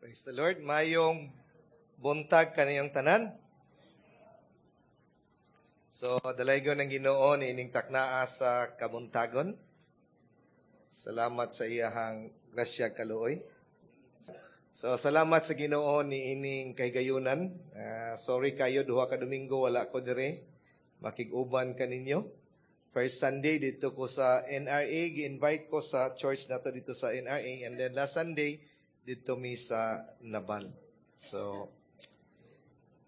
Praise the Lord. Mayong buntag kaniyong tanan. So, dalaygon ng Ginoo niining taknaa sa kabuntagon. Salamat sa iyahang grasya kaluoy. So, salamat sa Ginoo niining kahigayunan. Sorry kayo, 2 ka Domingo wala ko dire. Makig-uban kaninyo. First Sunday dito ko sa NRA, gi-invite ko sa church nato dito sa NRA, and then last Sunday dito mi sa Nabal. So,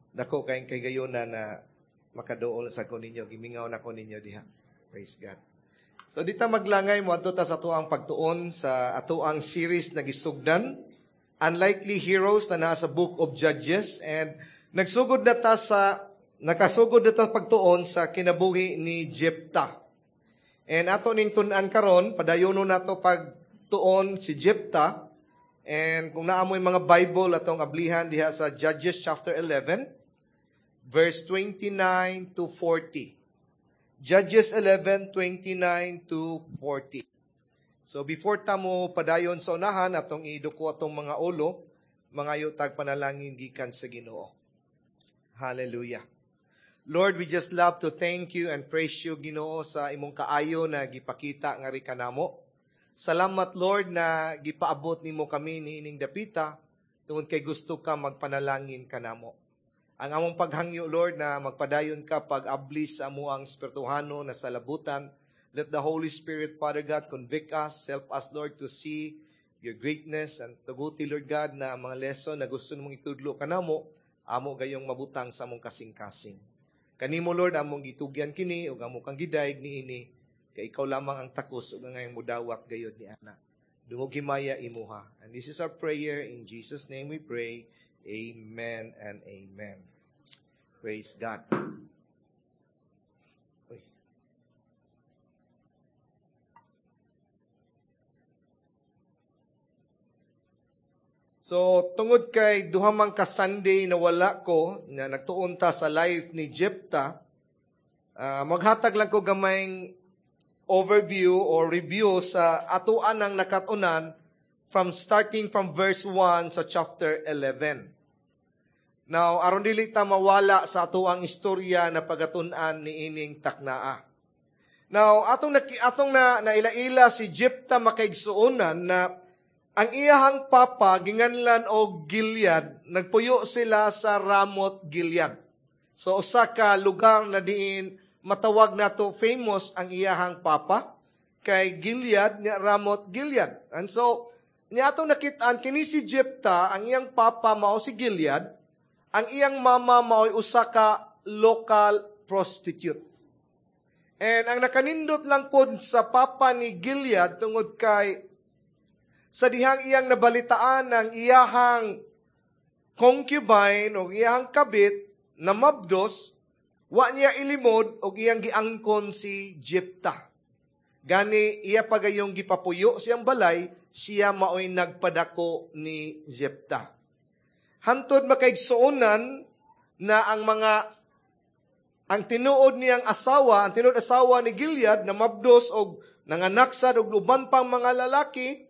dako kayong kahigayunan na makaduol sa ko ninyo, gimingaw na ko ninyo diha. Praise God. So dita maglangay mo adto ta sa atuang pagtuon sa atuang series na gisugdan, Unlikely Heroes, na naa sa Book of Judges, and nagsugod na ta sa nakasugod na ta pagtuon sa kinabuhi ni Jephthah. And ato ning tun-an karon, padayono nato pagtuon si Jephthah. And kung naa moy mga Bible, atong ablihan diha sa Judges chapter 11 verse 29 to 40. Judges 11:29 to 40. So before ta mo padayon sa unahan, atong iduko atong mga ulo, mangayo tag panalangin gikan sa Ginoo. Hallelujah. Lord, we just love to thank you and praise you, Ginoo, sa imong kaayo na gipakita ngari kanamo. Salamat, Lord, na gipaabot nimo kami niining dapita tungod kay gusto ka magpanalangin kanamo. Ang among paghangyo, Lord, na magpadayon ka pag-abli sa amuang espirituhano na salabutan. Let the Holy Spirit, Father God, convict us, help us, Lord, to see your greatness, and tuguti, Lord God, na ang mga lesson na gusto mong itudlo kanamo, amo gayong mabutang sa among kasing-kasing. Kanimo, Lord, among gitugyan kini ug amo kang gidayeg niini kay ikaw lamang ang takos ug angayang mudawat gayod ni ana. Dungog himaya imuha. And this is our prayer. In Jesus' name we pray. Amen and amen. Praise God. Uy. So, tungod kay duha man ka Sunday na wala ko, na nagtuon ta sa life ni Jephthah, maghatag lang ko gamayng overview or review sa atuan ng nakatunan from starting from verse 1 sa chapter 11. Now, aron dili ta mawala sa atuang istorya na pagatun-an ni ining taknaa. Now, atong na naila-ila si Jephthah, makaigsuonan, na ang iyahang papa ginganlan og Gilead, nagpuyo sila sa Ramot Gilead. So usa ka lugar na diin matawag nato famous ang iyahang papa kay Gilead nya Ramot Gilead. And so niya atong nakit-an kini si Jephthah, ang iyang papa mao si Gilead, ang iyang mama mao'y usa ka local prostitute. And ang nakanindot lang pod sa papa ni Gilead, tungod kay sa dihang iyang nabalitaan ng iyahang concubine o iyahang kabit na mabdos, wa niya ilimod og iyang giangkon si Jephthah. Gani iya pagayong gipapuyo siyang balay, siya maoy nagpadako ni Jephthah. Hantod makaigsuonan na ang tinuod niyang asawa, ang tinuod asawa ni Gilead na mabdos og nanganak sad og uban pang mga lalaki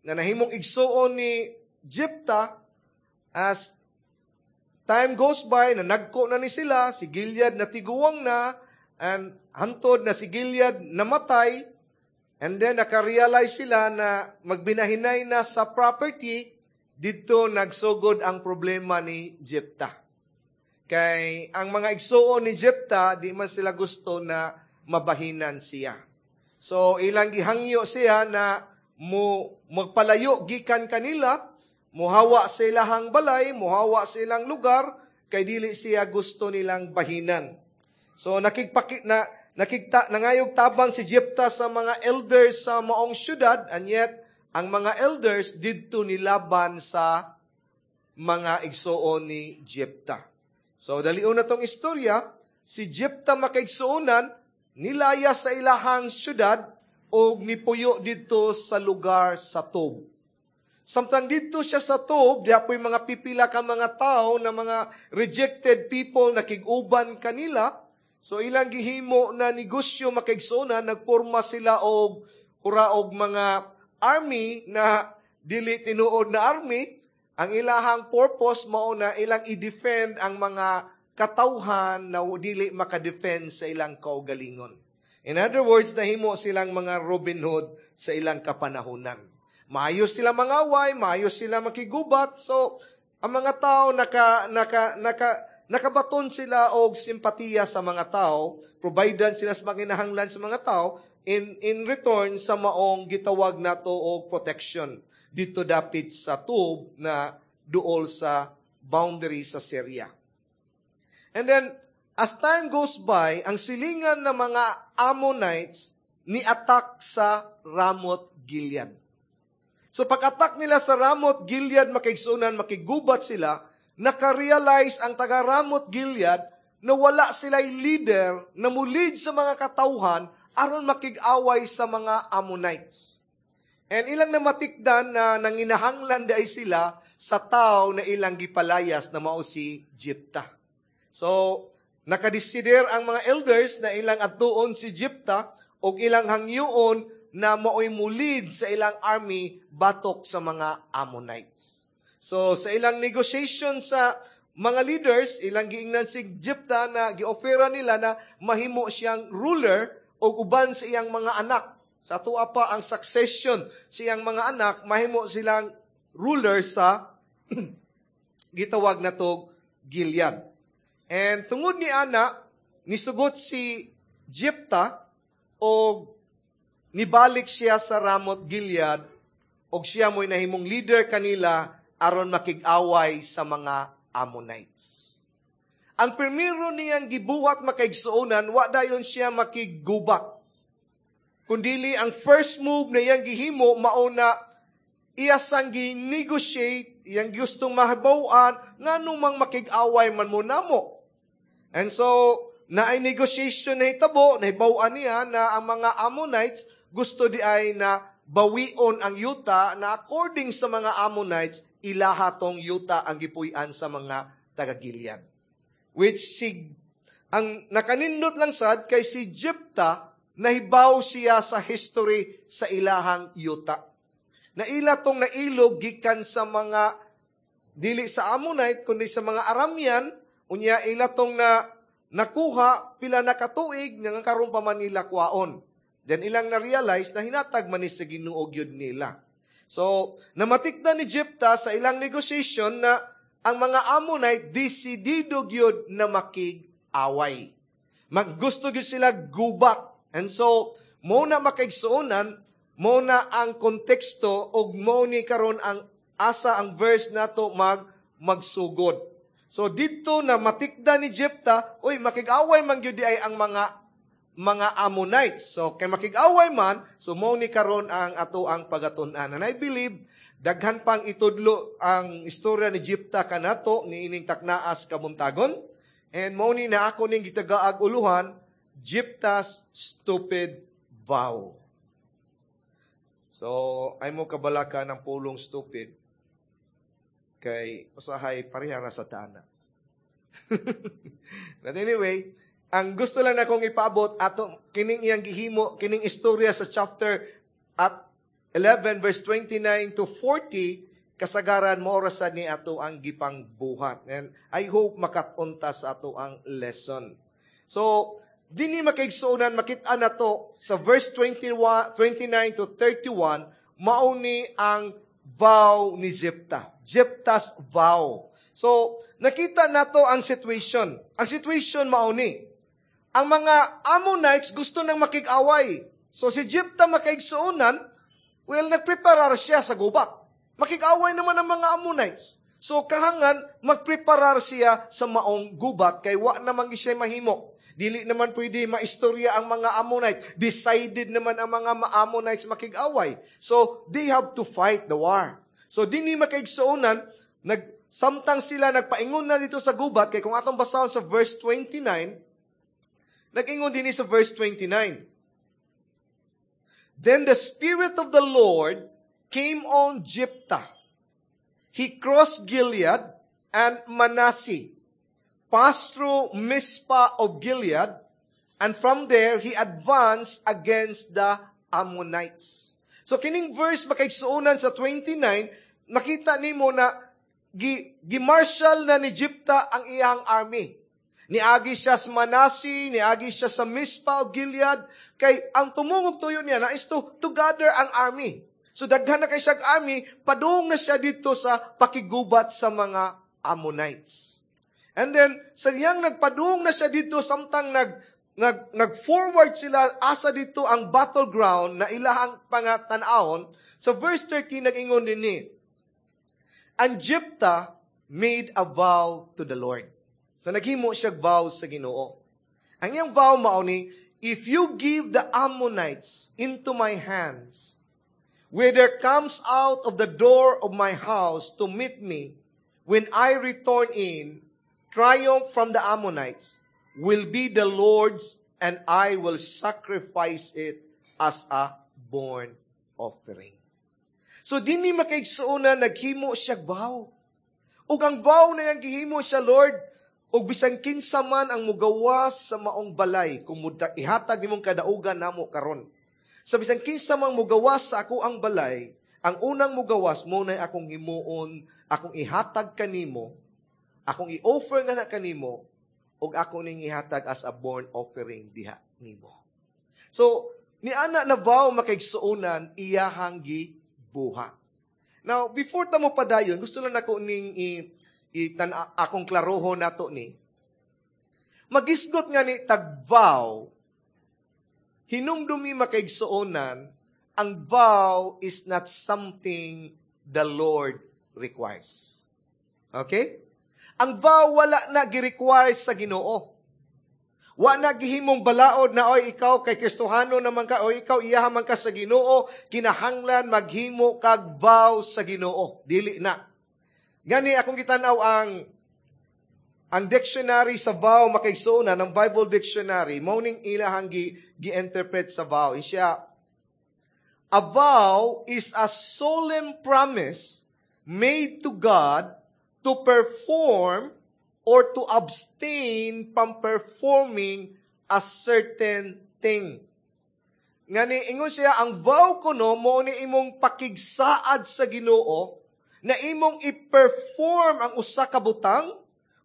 na nahimong igsuon ni Jephthah. As time goes by, na nagko na ni sila, si Gilead na tiguang na, and hantod na si Gilead namatay, and then nakarealize sila na magbinahinay na sa property, dito nagsugod ang problema ni Jephthah. Kay ang mga igsuon ni Jephthah, di man sila gusto na mabahinan siya. So ilang gihangyo siya na mo magpalayo gikan kanila, muhawa sa ilahang balay, muhawa sa ilang lugar, kay dili siya gusto nilang bahinan. So nakigpaki na nakigta nangayog tabang si Jephthah sa mga elders sa maong syudad, and yet ang mga elders didto nilaban sa mga igsuon ni Jephthah. So dalion na tong istorya, si Jephthah, makaigsuonan, nilaya sa ilahang syudad og nipuyo didto sa lugar sa Tob. Samtang didto siya sa Tob, diha po'y mga pipila ka mga tao na mga rejected people na kig-uban kanila. So ilang gihimo na negosyo, makaigsuonan, nagporma sila og hura og mga army na dili tinuod na army. Ang ilahang purpose mao na ilang i-defend ang mga katawhan na dili makadefend sa ilang kaugalingon. In other words, nahimo silang mga Robin Hood sa ilang kapanahunan. Maayo sila mangaway, maayo sila makigubat. So, ang mga tao nakabaton sila og simpatiya sa mga tao, providean sila sa mga kinahanglan sa mga tao in return sa maong gitawag nato og protection dito dapit sa Tob na duol sa boundary sa Syria. And then, as time goes by, ang silingan ng mga Ammonites ni attack sa Ramoth Gilead. So pag-attack nila sa Ramoth Gilead, makaigsunan, makigubat sila, naka-realize ang taga Ramoth Gilead na wala sila'y leader na mulid sa mga katawhan aron makig-away sa mga Ammonites. And ilang namatikdan na nanginahanglan diay sila sa tao na ilang gipalayas na mao si Jepta. So, nakadesider ang mga elders na ilang adtuon si Jepta og ilang hangyoon na maoy mulid sa ilang army batok sa mga Ammonites. So, sa ilang negotiation sa mga leaders, ilang giingnan si Jepta na giofera nila na mahimo siyang ruler o uban sa iyang mga anak. Sa tuwa pa ang succession sa iyang mga anak, mahimo silang ruler sa gitawag na to Gilead. And tungod ni ana, nisugot si Jepta og nibalik siya sa Ramoth Gilead og siya mo'y nahimong leader kanila aron makig-away sa mga Ammonites. Ang primero niyang gibuhat, makaigsuonan, wa dayon siya makiggubat. Kundili ang first move na iyang gihimo mao na iya sang gi-negotiate, iyang gustong mahibaw-an ngano mang makig-away man mo namo. And so, naay negotiation na hitabo, nahibaw-an niya na ang mga Ammonites gusto di ay na bawion ang yuta na according sa mga Ammonites, ilaha tong yuta ang gipuy-an sa mga taga-Gilead. Which si, ang nakanindot lang sad kay si Jepta, nahibaw siya sa history sa ilahang yuta. Na ila tong nailog gikan sa mga dili sa Ammonite kundi sa mga Aramean, unya ila tong na nakuha pila na katuig nga karon pa man nila kuhaon. Then ilang na-realize na hinatag man ni sa Ginoo gyud nila. So, namatikdan ni Jepta sa ilang negotiation na ang mga Ammonite desidido gyud na makig-away. Maggusto gyud sila gubat. And so, mo na, makaigsuonan, mo na ang konteksto og mo ni karon ang asa ang verse nato magsugod. So didto na matikda ni Jepta, uy, makig-away man gyud ay ang mga Ammonites. So kay makig-away man, so mo ni karon ang ato ang pagatun-an. And I believe daghan pang itudlo ang istorya ni Jepta kanato ni ining taknaas kabuntagon. And mo ni na ako ning gitagaag uluhan, Jepta's stupid vow. So, ay mo kabalaka ng pulong stupid kay usahay pareha ra sa tana. But anyway, ang gusto lang akong ipaabot ato kining iyang gihimo kining istorya sa chapter at 11 verse 29 to 40, kasagaran mo ra sad ni ato ang gipangbuhat. And I hope makat-on ta sa ato ang lesson. So, dinhi, makaigsuonan, makita nato sa verse 21, 29 to 31, mao ni ang vow ni Jepta. Jepta's vow. So, nakita nato ang situation. Ang situation mao ni. Ang mga Ammonites gusto nang makig-away. So, si Jepta, makaigsuonan, well, nagpreparar siya sa gubat. Makig-away naman ang mga Ammonites. So, kahangan, magpreparar siya sa maong gubat kay wa naman siya mahimo. Dili naman pwede maistorya ang mga Ammonite. Decided naman ang mga Ammonites makig-away. So, they have to fight the war. So, dinhi, makaigsuonan, samtang sila nagpaingon na dito sa gubat, kay kung atong basahon sa verse 29, nag-ingon din sa verse 29. "Then the Spirit of the Lord came on Jephthah. He crossed Gilead and Manasseh, passed through Mizpah of Gilead, and from there he advanced against the Ammonites." So kining verse, makaigsuonan, sa 29, nakita nimo na gi marshal na ni Jepta ang iyang army. Niagi siya sa Manasi, niagi siya sa Mispa o Gilead, kay ang tumungog tuyo niya na is to gather ang army. So daghan na kay siya army, padung na siya dito sa pakigubat sa mga Ammonites. And then, sa diyang nagpadung na siya dito, samtang nag forward sila asa dito ang battleground na ilahang pangatanawon, sa verse 13 nag-ingon dinhi, "And Jephthah made a vow to the Lord." So naghimo siya vow sa Ginoo. Ang iyang vow mao ni, "If you give the Ammonites into my hands, whoever comes out of the door of my house to meet me when I return in triumph from the Ammonites, will be the Lord's, and I will sacrifice it as a burnt offering." So dinhi, makaigsuonan, naghimo siya vow. Ug ang vow na iyang gihimo siya, "Lord, ug bisan kinsa man ang mugawas sa maong balay, kung ihatag nimong kadaugan namo karon. Sa bisan kinsa man mugawas sa ako ang balay, ang unang mugawas mo na akong himuon, akong ihatag kanimo, akong i-offer nga na kanimo, ug ako ning ihatag as a burnt offering diha nimo." So, ni ana na vow, makaigsuonan, iyahang gibuhat. Now, before ta mo padayon, gusto lang nako ning i, i tan akong klarohon nato ni. Magisgot nga ni tag vow, hinumdumi, makaigsuonan, ang vow is not something the Lord requires. Okay? Ang vow wala na gi-require sa Ginoo. Wa na gihimong balaod na, "Oy, ikaw kay Kristohano naman ka, o ikaw iyaha man ka sa Ginoo, kinahanglan maghimo kag vow sa Ginoo." Dili na. Gani akong gitan-aw ang dictionary sa vow, makaigsuonan, ng Bible dictionary, mao ning ilahang gi-interpret sa vow. Siya, "A vow is a solemn promise made to God to perform or to abstain from performing a certain thing." Ngani ingon siya, ang vow kuno mo ni imong pakigsaad sa Ginoo na imong i-perform ang usa ka butang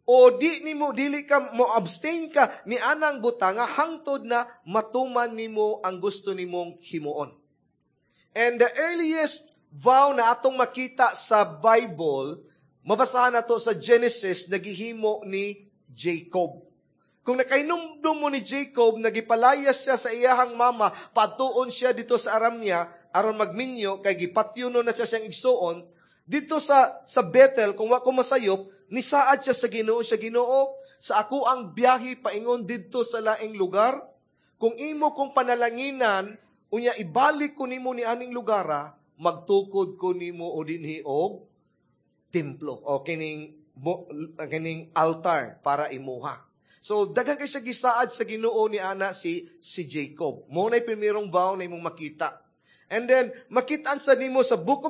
o di nimo dili ka mo abstain ka ni anang butang nga hangtod na matuman nimo ang gusto nimong himuon. And the earliest vow na atong makita sa Bible, mabasahan nato sa Genesis, nagihimo ni Jacob. Kung nakainumdum mo ni Jacob, nagipalayas siya sa iyahang mama, patuon siya dito sa Aramia, aron magminyo, kay gipatyono na siya siyang igsuon, dito sa Bethel, kung wa ko masayop, nisaad siya sa Ginoo, siya, "Ginoo, sa ako ang biyahe paingon didto sa laing lugar, kung imo kong panalanginan, unya ibalik ko nimo ni aning lugara, magtukod ko nimo o dinhi og templo o kining altar para imuha." So daghan kay siya gisaad sa Ginoo ni ana si Jacob. Mo nay primerong vow na imong makita. And then makita sa nimo sa Book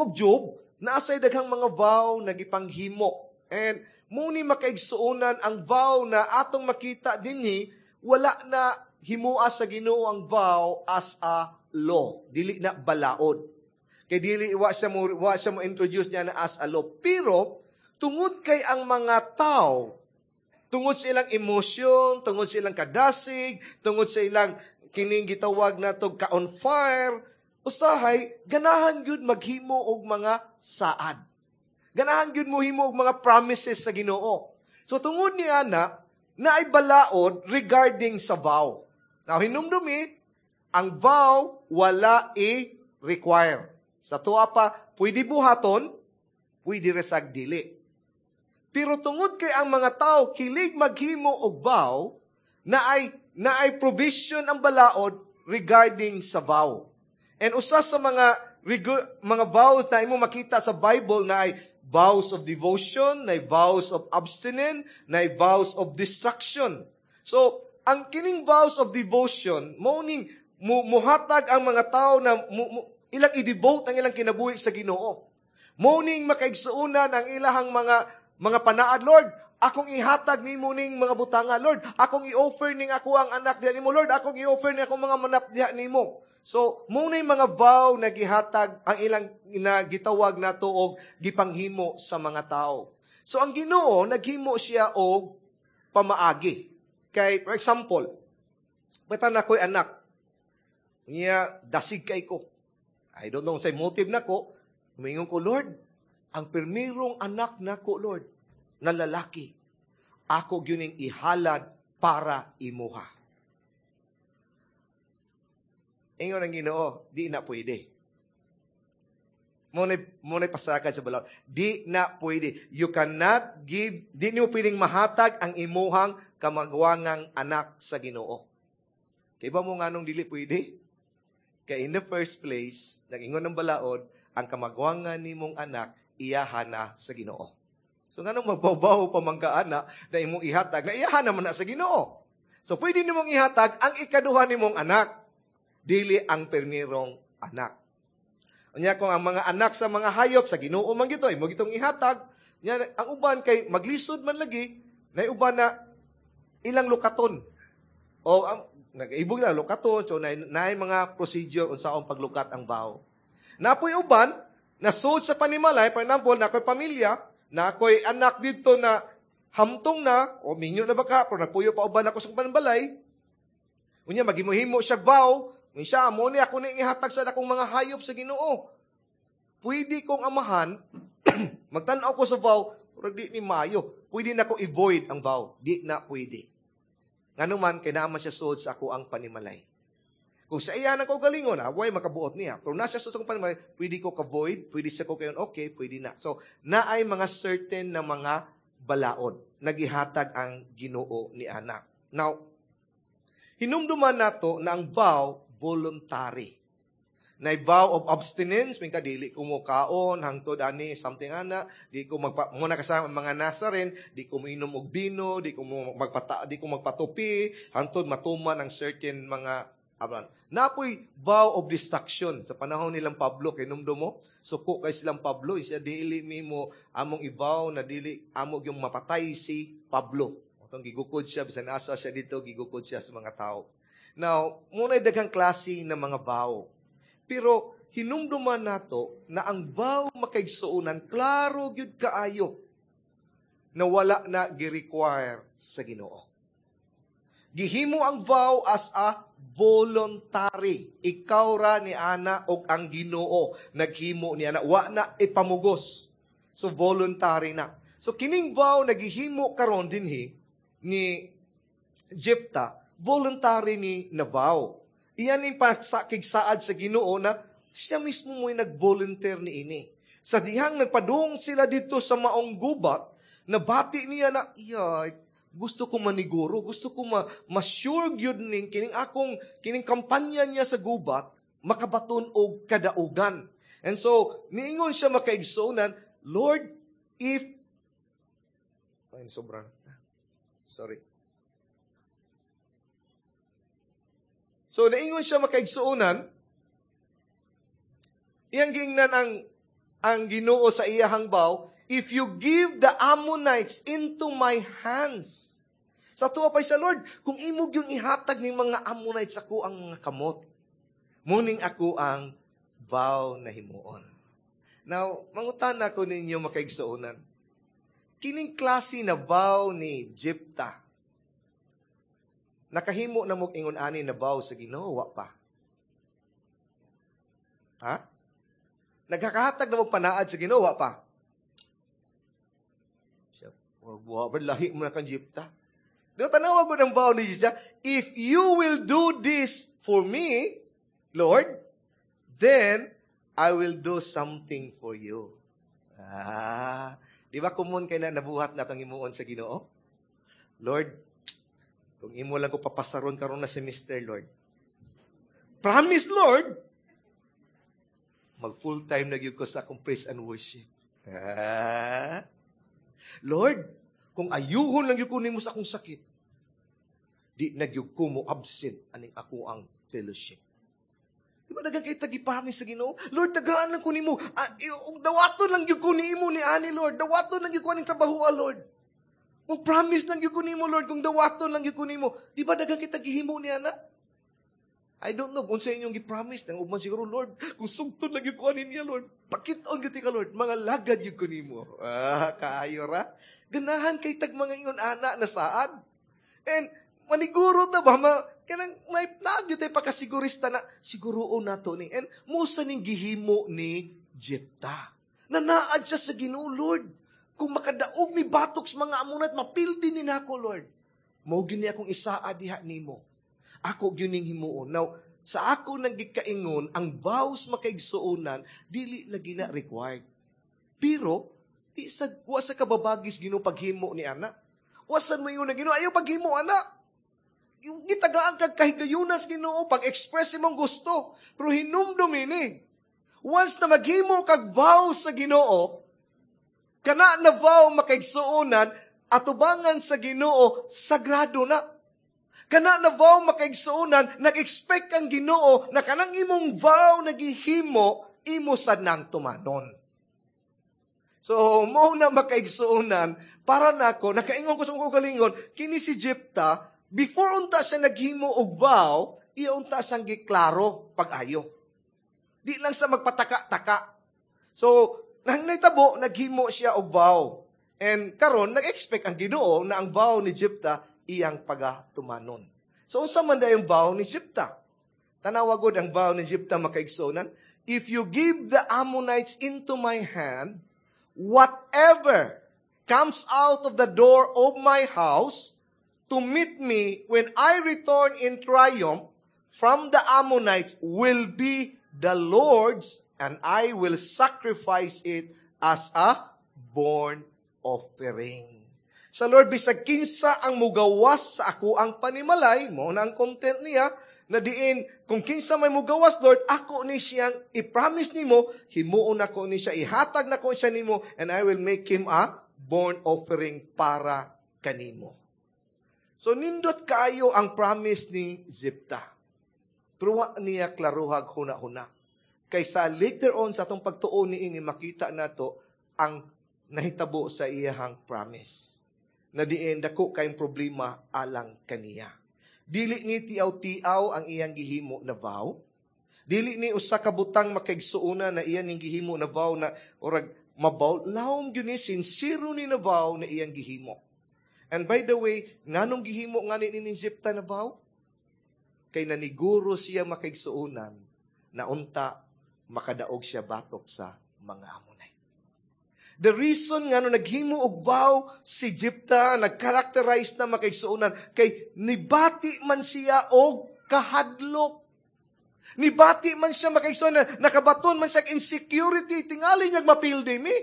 of Job, naasay daghang mga vow na gipanghimo. And mo ni, makaigsuonan, ang vow na atong makita dinhi, wala na himua sa Ginoo ang vow as a law. Dili na balaod. Kay dili wa siya mo introduce niya na as a law. Pero tungod kay ang mga tao, tungod sa ilang emosyon, tungod sa ilang kadasig, tungod sa ilang kining gitawag nato ka on fire, usahay ganahan gyud maghimo og mga saad. Ganahan gyud mo himo og mga promises sa Ginoo. So tungod ni ana, naay balaod regarding sa vow. Now hinumdumi, ang vow wala i-require. Sa tuwa pa, pwede buhaton, pwede resag dili. Pero tungod kay ang mga tao kilig maghimo og vow, na ay provision ang balaod regarding sa vow. And usa sa mga vows na imo makita sa Bible na ay vows of devotion, na ay vows of abstinence, na ay vows of destruction. So, ang kining vows of devotion, mao ning muhatag ang mga tao na ilang i-devote ang ilang kinabuhi sa Ginoo. Mao ning, makaigsuonan, ang ilahang mga panaad, "Lord, akong ihatag nimo ning mga butanga. Lord, akong i-offer ning ako ang anak diha nimo. Lord, akong i-offer ning akong mga manap diha nimo." So, mao na mga vow na gihatag ang ilang na gitawag nato og gipanghimo sa mga tao. So, ang Ginoo naghimo siya og pamaagi. Kay, for example, bata na ko'y anak, niya dasig kay ko. I don't know say motive nako. Muingon ko, "Lord, ang pirmirong anak nako, Lord, na lalaki, ako gyud ihalad para imuha." Ingon ang Ginoo, "Di na pwede." Mao pasakad sa balaod. Di na pwede. You cannot give, di nimo pwedeng mahatag ang imuhang kamagwangang anak sa Ginoo. Kay ba mo nganong dili pwede? Kay in the first place, nag-ingon ng balaod, ang kamagwangan nimong anak, iyahan na sa Ginoo. So nganong magbaw-baw pa man ka ana na imong ihatag, na iyahan naman na sa Ginoo. So pwede nimong ihatag ang ikaduha nimong anak, dili ang permirong anak. Unya kung ang mga anak sa mga hayop sa Ginoo man gito, imo gitong ihatag, nya ang uban kay maglisod man lagi, na uban na ilang lukaton. O ang nag-ibog na lukaton, so na mga procedure unsaon paglukat ang vow. Napoy uban nasud sa panimalay, for example, na ako'y pamilya, na ako'y anak dito na hamtong na, o minyo na baka, pero nagpuyo pa uban ako sa panbalay. Unya, maghimuhimo siya vow, siya, mo ni ako ni ihatag sa akong mga hayop sa Ginoo. Pwede kong amahan, magtan-aw ko sa vow, pero di ni mayo. Pwede na ko i-void ang vow. Di na pwede. Ngano man, kay naa man siya sud sa ako ang panimalay. Kung sa iya na ko galingon, way makabuot niya. Pero nasa sud sa akong panimalay, pwede ko ka-void, pwede siya ko kayon, okay, pwede na. So, naay mga certain na mga balaod. Nagihatag ang Ginoo ni anak. Now, hinumduman nato na ang vow, voluntary. Na vow of abstinence, may dili ko mo kaon, hangtod ani, something ana, di ko magpa, muna kasama mga Nazarene, di ko moinom og bino, di ko mo magpata, di ko magpatupi, hangtod matuman ang certain mga abran. Napoy vow of destruction sa panahon nilang Pablo, kay numdo mo, suko kay silang Pablo, siya dili mimo among ibaw na dili amo yung mapatay si Pablo. Atong gigukod siya, bisan asa siya dito, gigukod siya sa mga tao. Now, muna'y daghang klase ng mga vow. Pero hinumduman nato na ang vow, makaigsuonan, klaro gyud kaayo na wala na gi-require sa Ginoo. Gihimo ang vow as a voluntary. Ikaw ra ni ana og ang Ginoo naghimo ni ana, wa na ipamugos. So voluntary na. So kining vow nagihimo karon dinhi ni Jepta, voluntary ni na vow. Iyan yung pasakig saad sa Ginoo na siya mismo mo'y nag-volunteer ni ini. Sa dihang nagpadung sila dito sa maong gubat, nabati niya na, iya, gusto ko maniguro, gusto ko ma-sure gyud ning kining akong kining kampanya niya sa gubat makabaton og kadaugan. And so, niingon siya, makaigsuonan, "Lord, if," ay, sobrang, sorry. So, naingon siya, makaigsuonan, iyang giingnan ang Ginoo sa iyahang vow, "If you give the Ammonites into my hands." Sa tuwa pa siya, "Lord, kung imog yung ihatag ni mga Ammonites ako ang mga kamot, muning ako ang vow na himuon." Now, mangutana ko ninyo, makaigsuonan. Kining klase na vow ni Jepta, nakahimo na mo ingon ani na vow sa Ginoo, wa pa? Ha? Nagkakahatag na mo panaad sa Ginoo, wa pa? Siya, wa ba lahi mo na kang Jepta? Di ba tanawa ko ng vow ni Jepta? "If you will do this for me, Lord, then I will do something for you." Ah, di ba common kay na nabuhat na itong himuon sa Ginoo? "Lord, kung imo lang ko papasaron karon na semester, Lord. Promise, Lord, mag full time na gyud ko sa akong praise and worship. Ah. Lord, kung ayuhon lang gyud ko nimo sa akong sakit, di na gyud ko mo absent aning ako ang fellowship." Di ba daghang kay tagi-promise sa Ginoo? "Lord, tagaan lang ko nimo. Ah, dawaton lang gyud ko nimo ni ani, Lord. Dawaton lang gyud ko aning trabaho, Lord. Kung promise lang gyud ko nimo, Lord, kung dawaton lang gyud ko nimo." Di ba daghang kita gihimo ni ana? I don't know kung sa inyong gi-promise nang uban siguro, "Lord, kung sugton lagi ko ani niya, Lord, pakit-on gyud ka, Lord, mga lagad gyud ko nimo." Ah, kaayo ra. Ganahan kay tag mga ingon ana na saad. And maniguro ta ba ma kanang may nagyud tay pakasigurista na siguroon nato ni. And mao sa ning gihimo ni Jepta. Nanaad siya sa Ginoo, "Lord, kung makadaog mi batok sa mga Ammonite, mapildi ni nako, Lord. Mao gyud ni akong isaa diha nimo. Ako gyud ning himuon." Now, sa ako nang gikaingon, ang vows, makaigsuonan, dili lagi na required. Pero, di sa, wa sa kababagis Ginoo paghimo ni ana. Wa sad mo ingon na, "Ginoo, ayaw paghimo ana." Yung gitagaan kag kahigayunas Ginoo pag-express imong gusto. Pero hinumdum ini. Once na maghimo kag vow sa Ginoo, kana na vow, makaigsuonan, atubangan sa Ginoo, sagrado na. Kana na vow, makaigsuonan, nag-expect ang Ginoo na kanang imong vow na gihimo, imo sad nang tumanon. So, mo na, makaigsuonan, para nako, nakaingon ko sa akong kaugalingon, kini si Jepta, before unta siya naghimo og vow, iya unta siyang giklaro pag-ayo. Di lang sa magpataka-taka. So, nang nahitabo, naghimo siya og vow. And karon nag-expect ang Ginoo na ang vow ni Jepta iyang pagatumanon. So, unsa man yung vow ni Jepta? Tanawa gud ang vow ni Jepta, makaigsuonan. "If you give the Ammonites into my hand, whatever comes out of the door of my house to meet me when I return in triumph from the Ammonites will be the Lord's, and I will sacrifice it as a burnt offering." Sa Lord, bisag kinsa ang mugawas sa ako ang panimalay, mo na ang content niya, na diin, kung kinsa may mugawas, Lord, ako ni siyang i-promise nimo, himuon nako ni siya, ihatag nako siya nimo, and I will make him a burnt offering para kanimo. So, nindot kayo ang promise ni Jepta. Pero wa niya klaruhag huna-huna. Kaysa later on sa atong pagtuon ni ini, makita nato ang nahitabo sa iyahang promise. Na diin dako kayong problema alang kaniya. Dili ni tiaw-tiaw ang iyang gihimo na vow. Dili ni usa ka butang, makaigsuona, na iyang ning gihimo na vow na orag mabaw lawom gyud ni, sincero ni na vow na iyang gihimo. And by the way, nganong gihimo ngani ni Jepta na vow? Kay naniguro siya, makaigsuonan, na unta makadaog siya batok sa mga Ammonite. The reason nga no naghimo og vow si Jepta, nag-characterize na, makaigsuonan, kay nibati man siya og kahadlok. Nibati man siya, makaigsuonan, nakabaton man siya insecurity, tingali niya mapildi mi.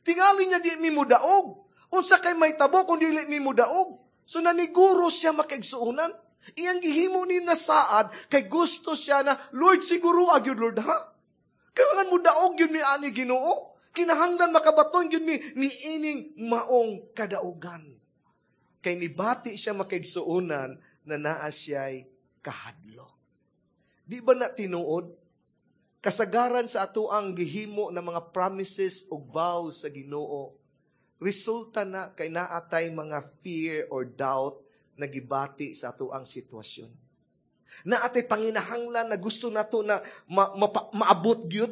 Tingali niya di mi mudaog. Unsa kay mahitabo kung dili mi mudaog? So naniguro siya, makaigsuonan. Iyang gihimo ni nasaad kay gusto siya na, "Lord, siguro agyud, Lord, ha? Kailangan mo daog yun mi ani, Ginoo. Kinahanglan makabaton yun mi ni ining maong kadaugan." Kay nibati siya, makaigsuonan, na naa siya'y kahadlok. Di ba na tinuod? Kasagaran sa ato ang gihimo na mga promises o vows sa Ginoo, resulta na kay naatay mga fear or doubt na gibati sa ato ang sitwasyon. Naatay panginahanglan na gusto nato na maabot gyud.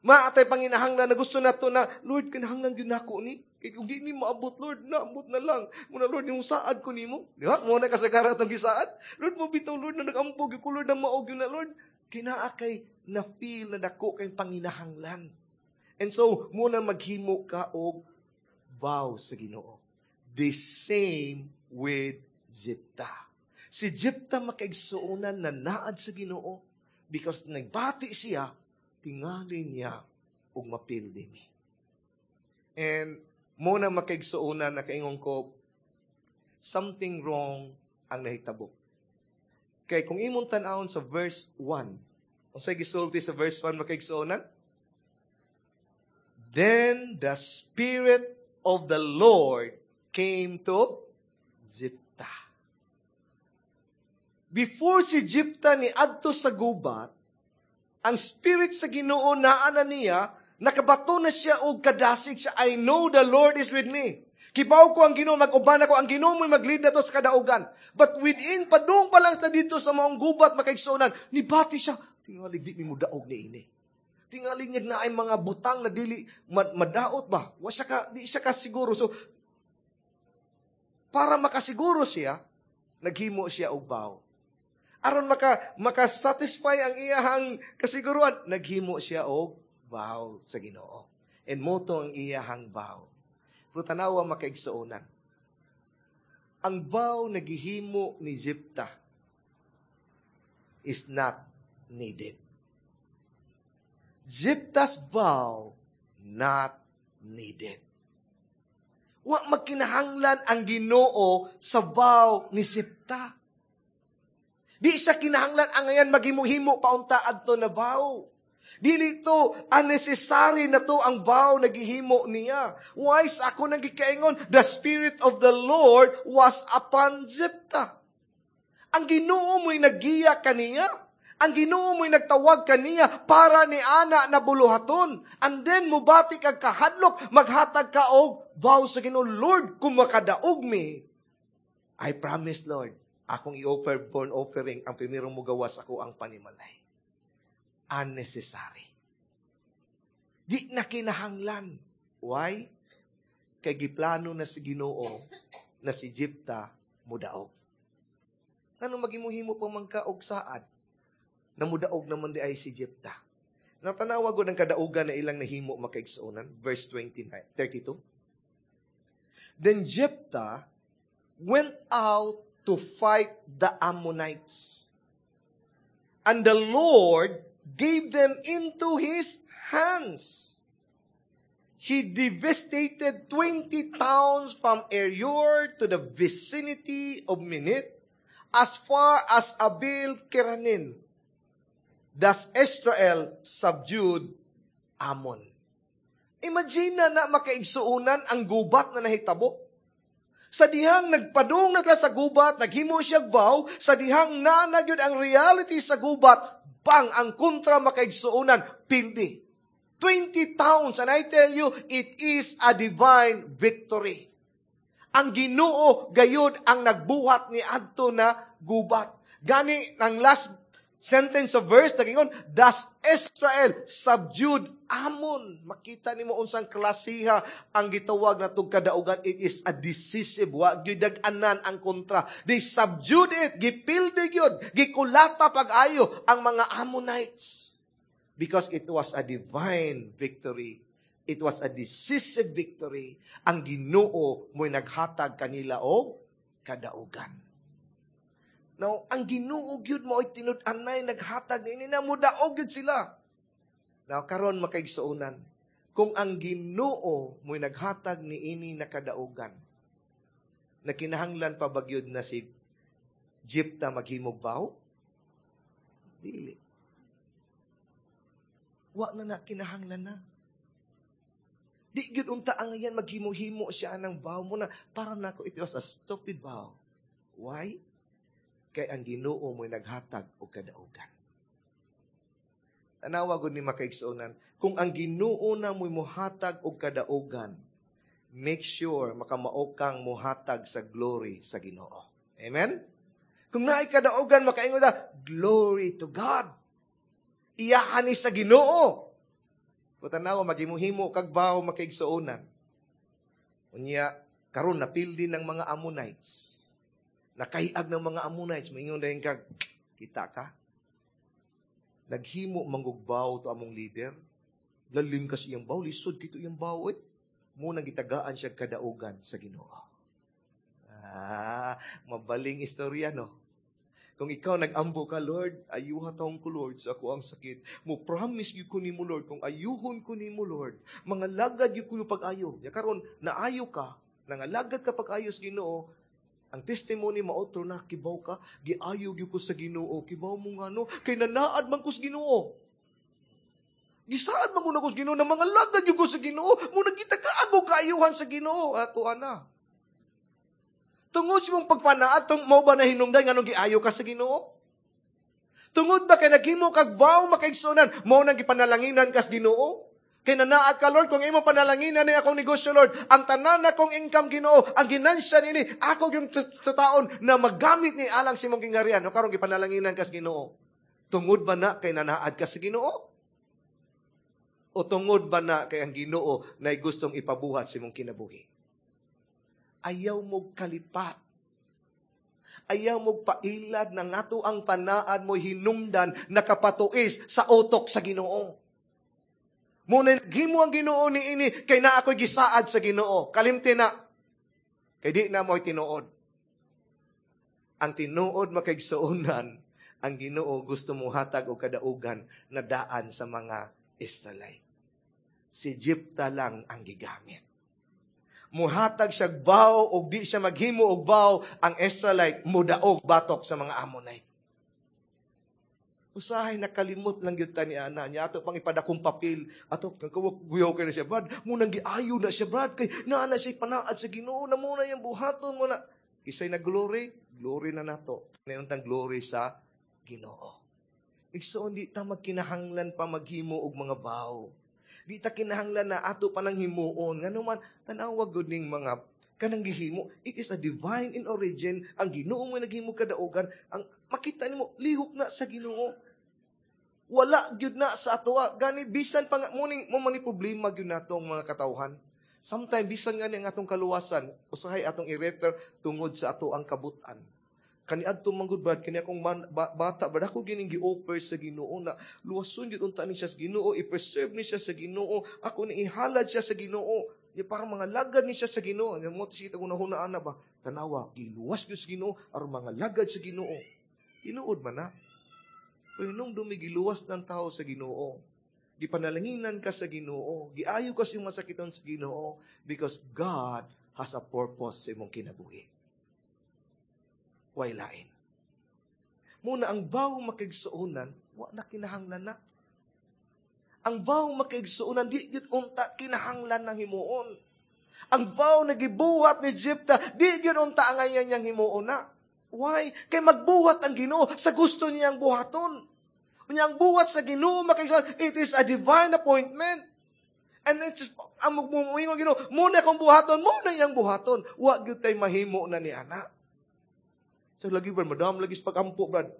Maatay panginahanglan na gusto nato na, "Lord, kinahanglan gyud nako ni. Kay kung di ni maabot, Lord, naabot na lang. Muna, Lord, yung saad ko nimo." Di ba? Mo na kasagaran atong gisaad. "Lord, mo bitaw, Lord, na nag-ampo ko, Lord, na maog yun na, Lord." Kinaa kay na feel na dako kay panginahanglan. And so, muna maghimo ka og vow sa Ginoo. The same with Jepta. Si Jepta, makaigsuonan, na naad sa Ginoo because nagbati siya, tingali niya og mapildi ni. And mo na, makaigsuonan, nakaingon ko, something wrong ang nahitabo. Kay kung imong tan-awon sa verse 1, unsay gisulti sa verse 1, makaigsuonan? "Then the Spirit of the Lord came to Jepta." Before si Jepta ni adto sa gubat, ang Spirit sa Ginoo naa na niya, nakabato na siya og kadasig siya, "I know the Lord is with me." Kibaw ko ang Ginoo mag-uban ako, ang Ginoo mo'y mag-lead nato sa kadaugan. But within, padung pa lang sa dito sa maong gubat, makaigsuonan, nibati siya, tingalig di mi mudaog ni ini. Tingalig niya na ay mga butang na dili madaot ba? Wa siya ka, di siya kasiguro. So, para makasiguro siya, naghimo siya og vow. Aron maka-satisfy ang iyahang kasiguruan, naghimo siya og vow sa Ginoo. And mao to ang iyahang vow. Pero tanawa, makaigsuonan. Ang vow na gihimo ni Jepta is not needed. Jepta's vow not needed. Wa magkinahanglan ang Ginoo sa vow ni Jepta. Di siya kinahanglan ang ngayon maghimo-himo paunta adto na vow. Dili to unnecessary na to ang vow na gihimo niya. Why? Sa ako nang gikaingon, the Spirit of the Lord was upon Jephthah. Ang Ginoo mo'y naggiya kaniya. Ang Ginoo mo'y nagtawag kaniya para ni ana na buluhaton. And then mubati kag kahadlok, maghatag ka og vow sa Ginoo, "Lord, kung makadaog mi, I promise, Lord, akong i-offer burnt offering ang primerong mugawas ako ang panimalay." Unnecessary. Di na kinahanglan. Why? Kay giplano na si Ginoo na si Jepta mudaog. Ano magimuhimo pa man ka og saad? Namudaog naman di ay si Jepta. Natanawa ko ng kadaugan na ilang nahimo, makaigsuonan. Verse 29, 32. Then Jephthah went out to fight the Ammonites. And the Lord gave them into his hands. He devastated 20 towns from Aroer to the vicinity of Minnith, as far as Abel Keramim. Thus Israel subdued Ammon. Imagine na makaigsuonan ang gubat na nahitabo. Sa dihang nagpadung na sa gubat, naghimo siya vow, sa dihang naa na gyud ang reality sa gubat, bang ang kontra, makaigsuonan, pildi. 20 towns, and I tell you, it is a divine victory. Ang Ginoo gayud ang nagbuhat ni adto na gubat. Gani ang last sentence of verse nagingon, "Thus Israel subdued Ammon." Makita nimo unsang klasiha ang gitawag na kadaugan. It is a decisive, wa gyud dag-anan ang kontra. They subdued it, gipildi gyud, gikulata pag-ayo ang mga Ammonites. Because it was a divine victory. It was a decisive victory. Ang Ginoo mo'y naghatag kanila og kadaugan. Now, ang Ginoo gyud mo'y tinud-anay naghatag ini na mudaog gyud sila. Now, karon, makaigsuonan, kung ang Ginoo mo'y naghatag niini na kadaugan, na kinahanglan pa ba gyud na si Jepta maghimog vow? Dili. Wa na na kinahanglan na. Di gyud unta ang ngayan maghimo-himo siya ng vow mo na para nako it was a stupid vow. Why? Kay ang Ginoo mo'y naghatag og kadaugan. Tanawa gud ni, makaigsuonan, kung ang Ginoo na mo'y muhatag og kadaugan, make sure makamao kang muhatag sa glory sa Ginoo. Amen? Kung naay kadaugan, makaingon ta, "Glory to God. Iyahan ni sa Ginoo." Kung tanawa, maghimuhimo kag vow, makaigsuonan. Unya, karon napildi ng mga Ammonites. Nakaiag ng mga Ammonites, maingon dayon kag, "Kita ka? Naghimo man gug vow to among leader. Lalim kasi iyang vow, lisod kito iyang vow eh. Mao nang gitagaan siya kadaugan sa Ginoo." Ah, mabaling istorya, no? Kung ikaw nag-ambo ka, "Lord, ayuha taong ko, Lord, sa ako ang sakit. Mo promise gyud ko nimo, Lord, kung ayuhon ko nimo, Lord, mga lagad gyud ko yung pag-ayo." Ya karon naayo ka, nangalagad ka pag-ayo sa Ginoo, ang testimony maotro na, "Kibaw ka, giayo gyud ko sa Ginoo, kibaw mo nga no, kay nanaad man ko sa Ginoo. Gisaad man ko na ko sa Ginoo, na mga lagad gyud ko sa Ginoo, mo nagita ka ago kaayuhan sa Ginoo, ato ana." Tungod sa imong pagpanaad, tung mo ba na hinungdan nganong giayo ka sa Ginoo? Tungod ba kay naghimo kag vow, makaigsuonan, mo nang gipanalanginan kas Ginoo? Kay nanaad ka, Lord, kung imo panalanginan ni akong negosyo, Lord, ang tanan na kong income, Ginoo, ang ginansya nini, ako yung sa taon na magamit ni alang sa imong gingharian. No, karon gipanalanginan ka sa Ginoo. Tungod ba na kay nanaad ka sa Ginoo? O tungod ba na kay ang Ginoo na gustong ipabuhat sa imong kinabuhi? Ayaw mo kalipat. Ayaw mo pailad na ngato ang panaad mo hinungdan nakapatuis sa utok sa Ginoo. Muna, gimo ang Ginoo ni ini, kay na ako'y gisaad sa Ginoo. Kalimti na. Kay di na mo'y tinuod. Ang tinuod makaigsuonan, ang Ginoo gusto mo hatag og kadaugan na daan sa mga Israelite. Si Jepta lang ang gigamit. Muhatag siya vow og di siya maghimo og vow, ang Israelite mudaog batok sa mga Ammonite. Usahay nakalimot lang gyud ta ni ana niya ato pang ipadakong papel ato kagawak guyaw kay na siya, Brad, munang giayo na siya, Brad, kay naa na siya panaad sa Ginoo na muna yang buhaton mo na isay na glory glory na nato untang glory sa Ginoo. Igsoon, di ta magkinahanglan pa maghimo og mga vow. Di ta kinahanglan na ato pa nang himuon. Ngano man, tan-awa gud ning mga kanang gihimo. It is a divine in origin. Ang Ginoo mo naghimo kadaugan. Ang makita nimo lihok na sa Ginoo. Wala gyud na sa atoa. Gani bisan pa nga muning mo man ni problema gyud natong mga katawhan. Sometimes bisan nga ni ang atong kaluwasan, usahay atong i-refer tungod sa ato ang kabutan. Kaniadto man gud, Brad, kani akong man, bata, brad, ako gining gi-offer sa Ginoo na luwason gyud unta ni siya sa Ginoo, i-preserve ni siya sa Ginoo, ako ni ihalad siya sa Ginoo. Nya para mga lagad ni siya sa Ginoo. Nya mo sikita kung nahunaan na ba? Tanawa, giluwas gyud sa Ginoo aron mga lagad sa Ginoo. Tinuod man na. Pero nung dumigiluwas ng tao sa Ginoo, gipanalanginan ka sa Ginoo, giayo ka sa iyong masakiton sa Ginoo, because God has a purpose sa imong kinabuhi. Way lain. Muna ang vow makigsuonan, wa na kinahanglan na. Ang vow makigsuonan, di gyud unta kinahanglan ng himuon. Ang vow na gibuhat ni Jepta, di gyud unta ang ngayon niyang himuon na. Why? Kay magbuhat ang Ginoo sa gusto niyang buhaton. Unya ang buhat sa Ginoo makigsuonan, it is a divine appointment. And it's just, ang magmumuingon Ginoo, muna akong buhaton, muna iyang buhaton. Wa gyud tay mahimo na ni ana. So lagi ba, madam, lagi sa pag-ampo, Brad.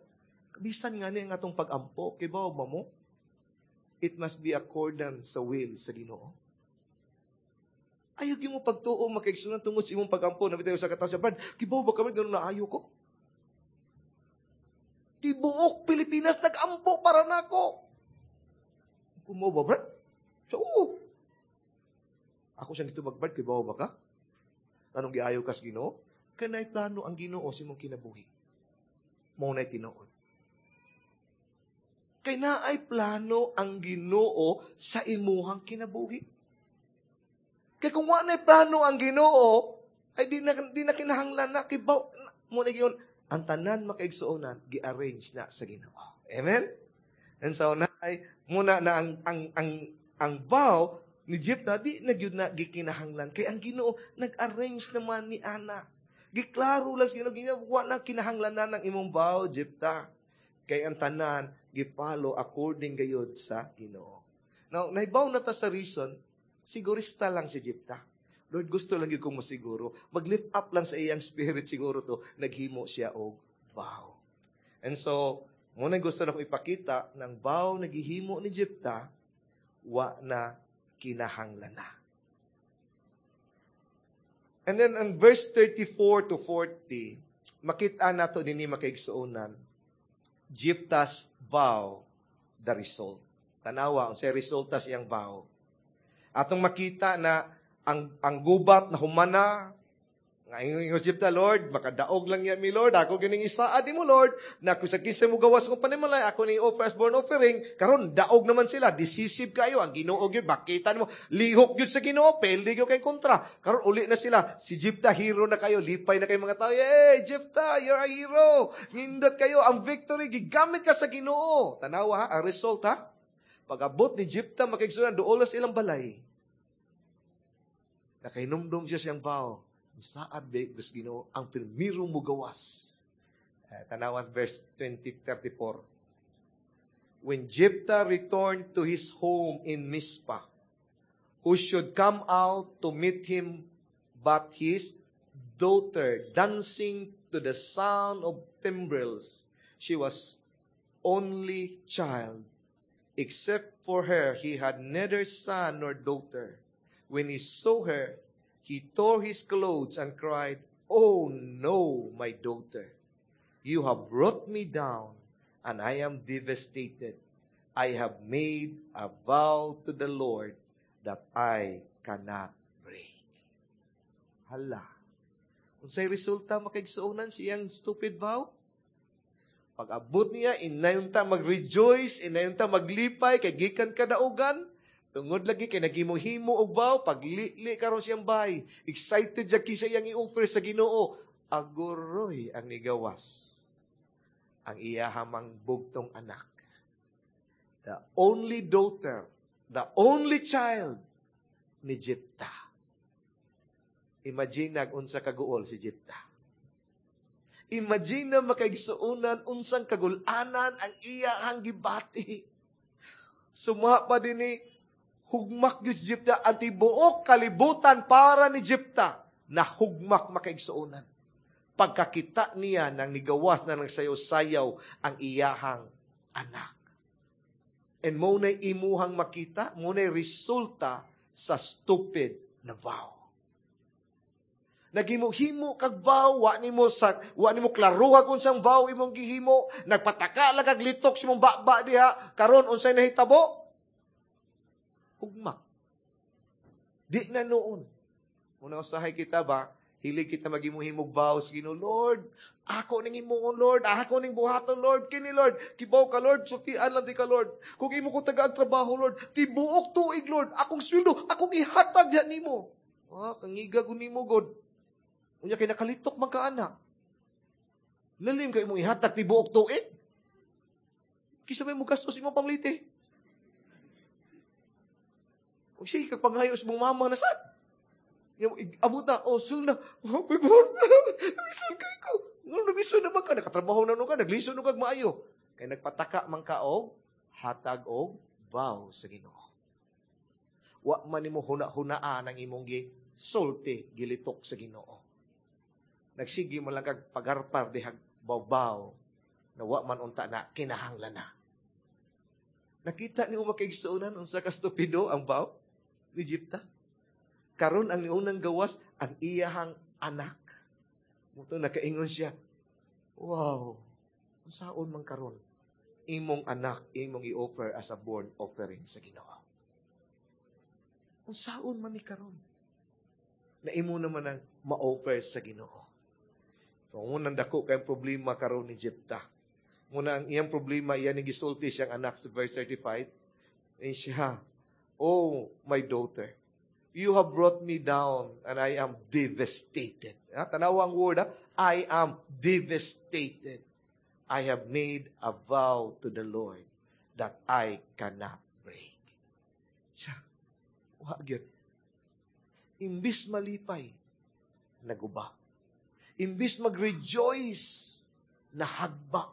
Bisan nga ni ang atong pag-ampo, kay ba mo? It must be accordance sa will sa Ginoo. Ayaw mo pagtuo, makaigsunan tungod sa imong pag-ampo. Nabitayo sa kataw siya, Brad, kibaw ba kami, ganun na ayo ko? Tibuok Pilipinas nag-ampo para nako. Kumo ba, Brad? So, oo. Ako siya dito mag-Brad, kibaw ba ka? Anong giayo kas Ginoo? Kanay plano ang Ginoo sa imong kinabuhi. Mao na'y tinuod. Kay naay plano ang Ginoo sa imuhang kinabuhi. Kay kung wa na'y plano ang Ginoo, ay di na kinahanglan na kibaw mo na giyon ang tanan makaigsuonan gi-arrange na sa Ginoo. Amen. And so na ay muna na ang vow ni Jepta di na gyud na gikinahanglan kay ang Ginoo nag-arrange naman ni ana. Giklaro lang sa Ginoo, Ginoo, wa na kinahanglan na ng imong vow, Jepta. Kay ang tanan gipalo according gayud sa Ginoo. Now, naibaw na ta sa reason, sigurista lang si Jepta. Lord, gusto lang gyud kong masiguro. Mag-lift up lang sa iyang spirit siguro to, naghimo siya og vow. And so, muna gusto na kong ipakita ng vow naghihimo ni Jepta, wa na kinahanglan na. And then, in verse 34 to 40, makita nato dinhi makaigsuonan, Jepta's vow, the result. Tanawa, unsay resulta sa iyang vow. Atong makita na ang gubat na humana, nga ingon Jepta, Lord, makadaog lang yan mi Lord, ako gining isaad mo Lord, na kung sa kinsa mo gawas kong panimalay, ako ni offer firstborn offering, karon daog naman sila, decisive kayo, ang Ginoo gyud, makita nimo, lihok gyud sa Ginoo, pwede gyud kay kontra. Karon uli na sila, si Jepta hero na kayo, lipay na kayo mga tao, hey Jepta, you're a hero. Nindot kayo, ang victory gigamit ka sa Ginoo. Tanawa ha, ang result ha. Pag-abot ni Jepta makigsunan duol sa ilang balay. Nakahinumdum siya siyang vow. Saad ba Diyos Ginoo ang pirmirong mugawas. Tanawan verse 20:34. When Jephthah returned to his home in Mizpah, Who should come out to meet him but his daughter, dancing to the sound of timbrels. She was only child. Except for her, he had neither son nor daughter. When he saw her, he tore his clothes and cried, "Oh no, my daughter! You have brought me down, and I am devastated. I have made a vow to the Lord that I cannot break." Hala. Unsay resulta, makaigsuonan, sa iyang stupid vow? Pag abot niya, inayon ta mag-rejoice, inayon ta maglipay, kay gikan kadaugan. Tungod lagi kay naghimo-himo og vow, paglili karon siyang bahay. Excited siya kinsa iyang i-offer sa Ginoo. Aguroy ang nigawas ang iyahamang bugtong anak. The only daughter, the only child ni Jepta. Imagine nag unsa kaguol si Jepta. Imagine na, makaigsuonan, unsang kagulanan ang iyahang gibati. Suma pa din ni hugmak gyud si Jepta, ang tibuok kalibutan para ni Jepta na hugmak, makaigsuonan. Pagkakita niya nang nigawas na nagsayaw-sayaw ang iyahang anak. And mao na'y imuhang makita, mao na'y resulta sa stupid na vow. Naghimo-himo kag vow, wa nimo klaruha kung unsang vow imong gihimo, nagpataka lang kag litok sa imong baba diha, karon unsay nahitabo? Hugmak. Di na noon. Muna usahay kita ba, hilig kita maghimo-himog vows, Ginoo, "Lord, ako ning himuon, Lord, ako ning buhaton, Lord, kini Lord, kibaw ka, Lord, sultian lang di ka, Lord. Kung imo ko tagaan trabaho, Lord, tibuok tuig, Lord, akong sweldo, akong ihatag diha nimo." Ah, kangiga ko nimo, God. Unya kay nakalitok man ka ana. Lalim kay imong ihatag tibuok tuig. Kisa may mo gastos imong pangliti. Kung sige kag panghayo sa mong mama na sad. Yung abot na, oh, sul na, oh, my God, lisod kay ko. Ngano naglisod naman ka, nakatrabaho na no ka, naglisod no kag maayo. Kay nagpataka man ka og hatag og vow sa Ginoo. Wa man nimo huna-hunaan ang imong gi sulti, gilitok sa Ginoo. Nagsige mo lang kag pagarpar dihag bawbaw na wa man unta na kinahanglan na. Nakita ni makaigsuonan unsa ka stupido ang vow ni Jepta? Karon ang niunang gawas ang iyahang anak. Mao to nakaingon siya, "Wow, unsaon man karon imong anak imong i-offer as a burnt offering sa Ginoo? Unsaon man ni karon na imo naman ang ma-offer sa Ginoo?" So, unang dako kay problema karon ni Jepta. Muna ang iyang problema, iyan ni gisulti siyang anak sa verse 35. Eh siya, "Oh, my daughter, you have brought me down and I am devastated." Ha? Tanawa ang word, ha? "I am devastated. I have made a vow to the Lord that I cannot break." Siya, wa gyud. Imbis malipay, naguba. Imbis mag-rejoice, nahagba.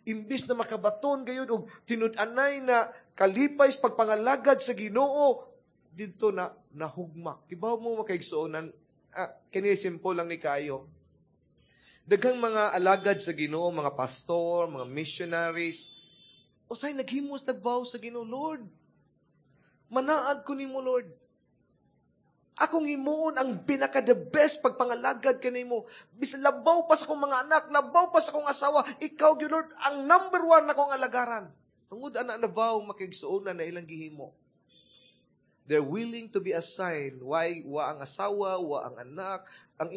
Imbis na makabaton gayud og tinud-anay na kalipay sa pagpangalagad sa Ginoo, didto na nahugmak. Kibaw mo, makaigsuonan, kini simple lang ni kayo. Daghang mga alagad sa Ginoo, mga pastor, mga missionaries, usay naghimos nag-vow sa Ginoo, "Lord, manaad ko nimo, Lord. Akong himuon ang pinaka the best pagpangalagad kanimo. Bisan labaw pa sa akong mga anak, labaw pa sa akong asawa, ikaw gyud, Lord, ang number one na akong alagaran." Tungod ana na vow, makaigsuonan, na ilang gihimo. They're willing to be assigned. Why? Wa ang asawa, wa ang anak. Ang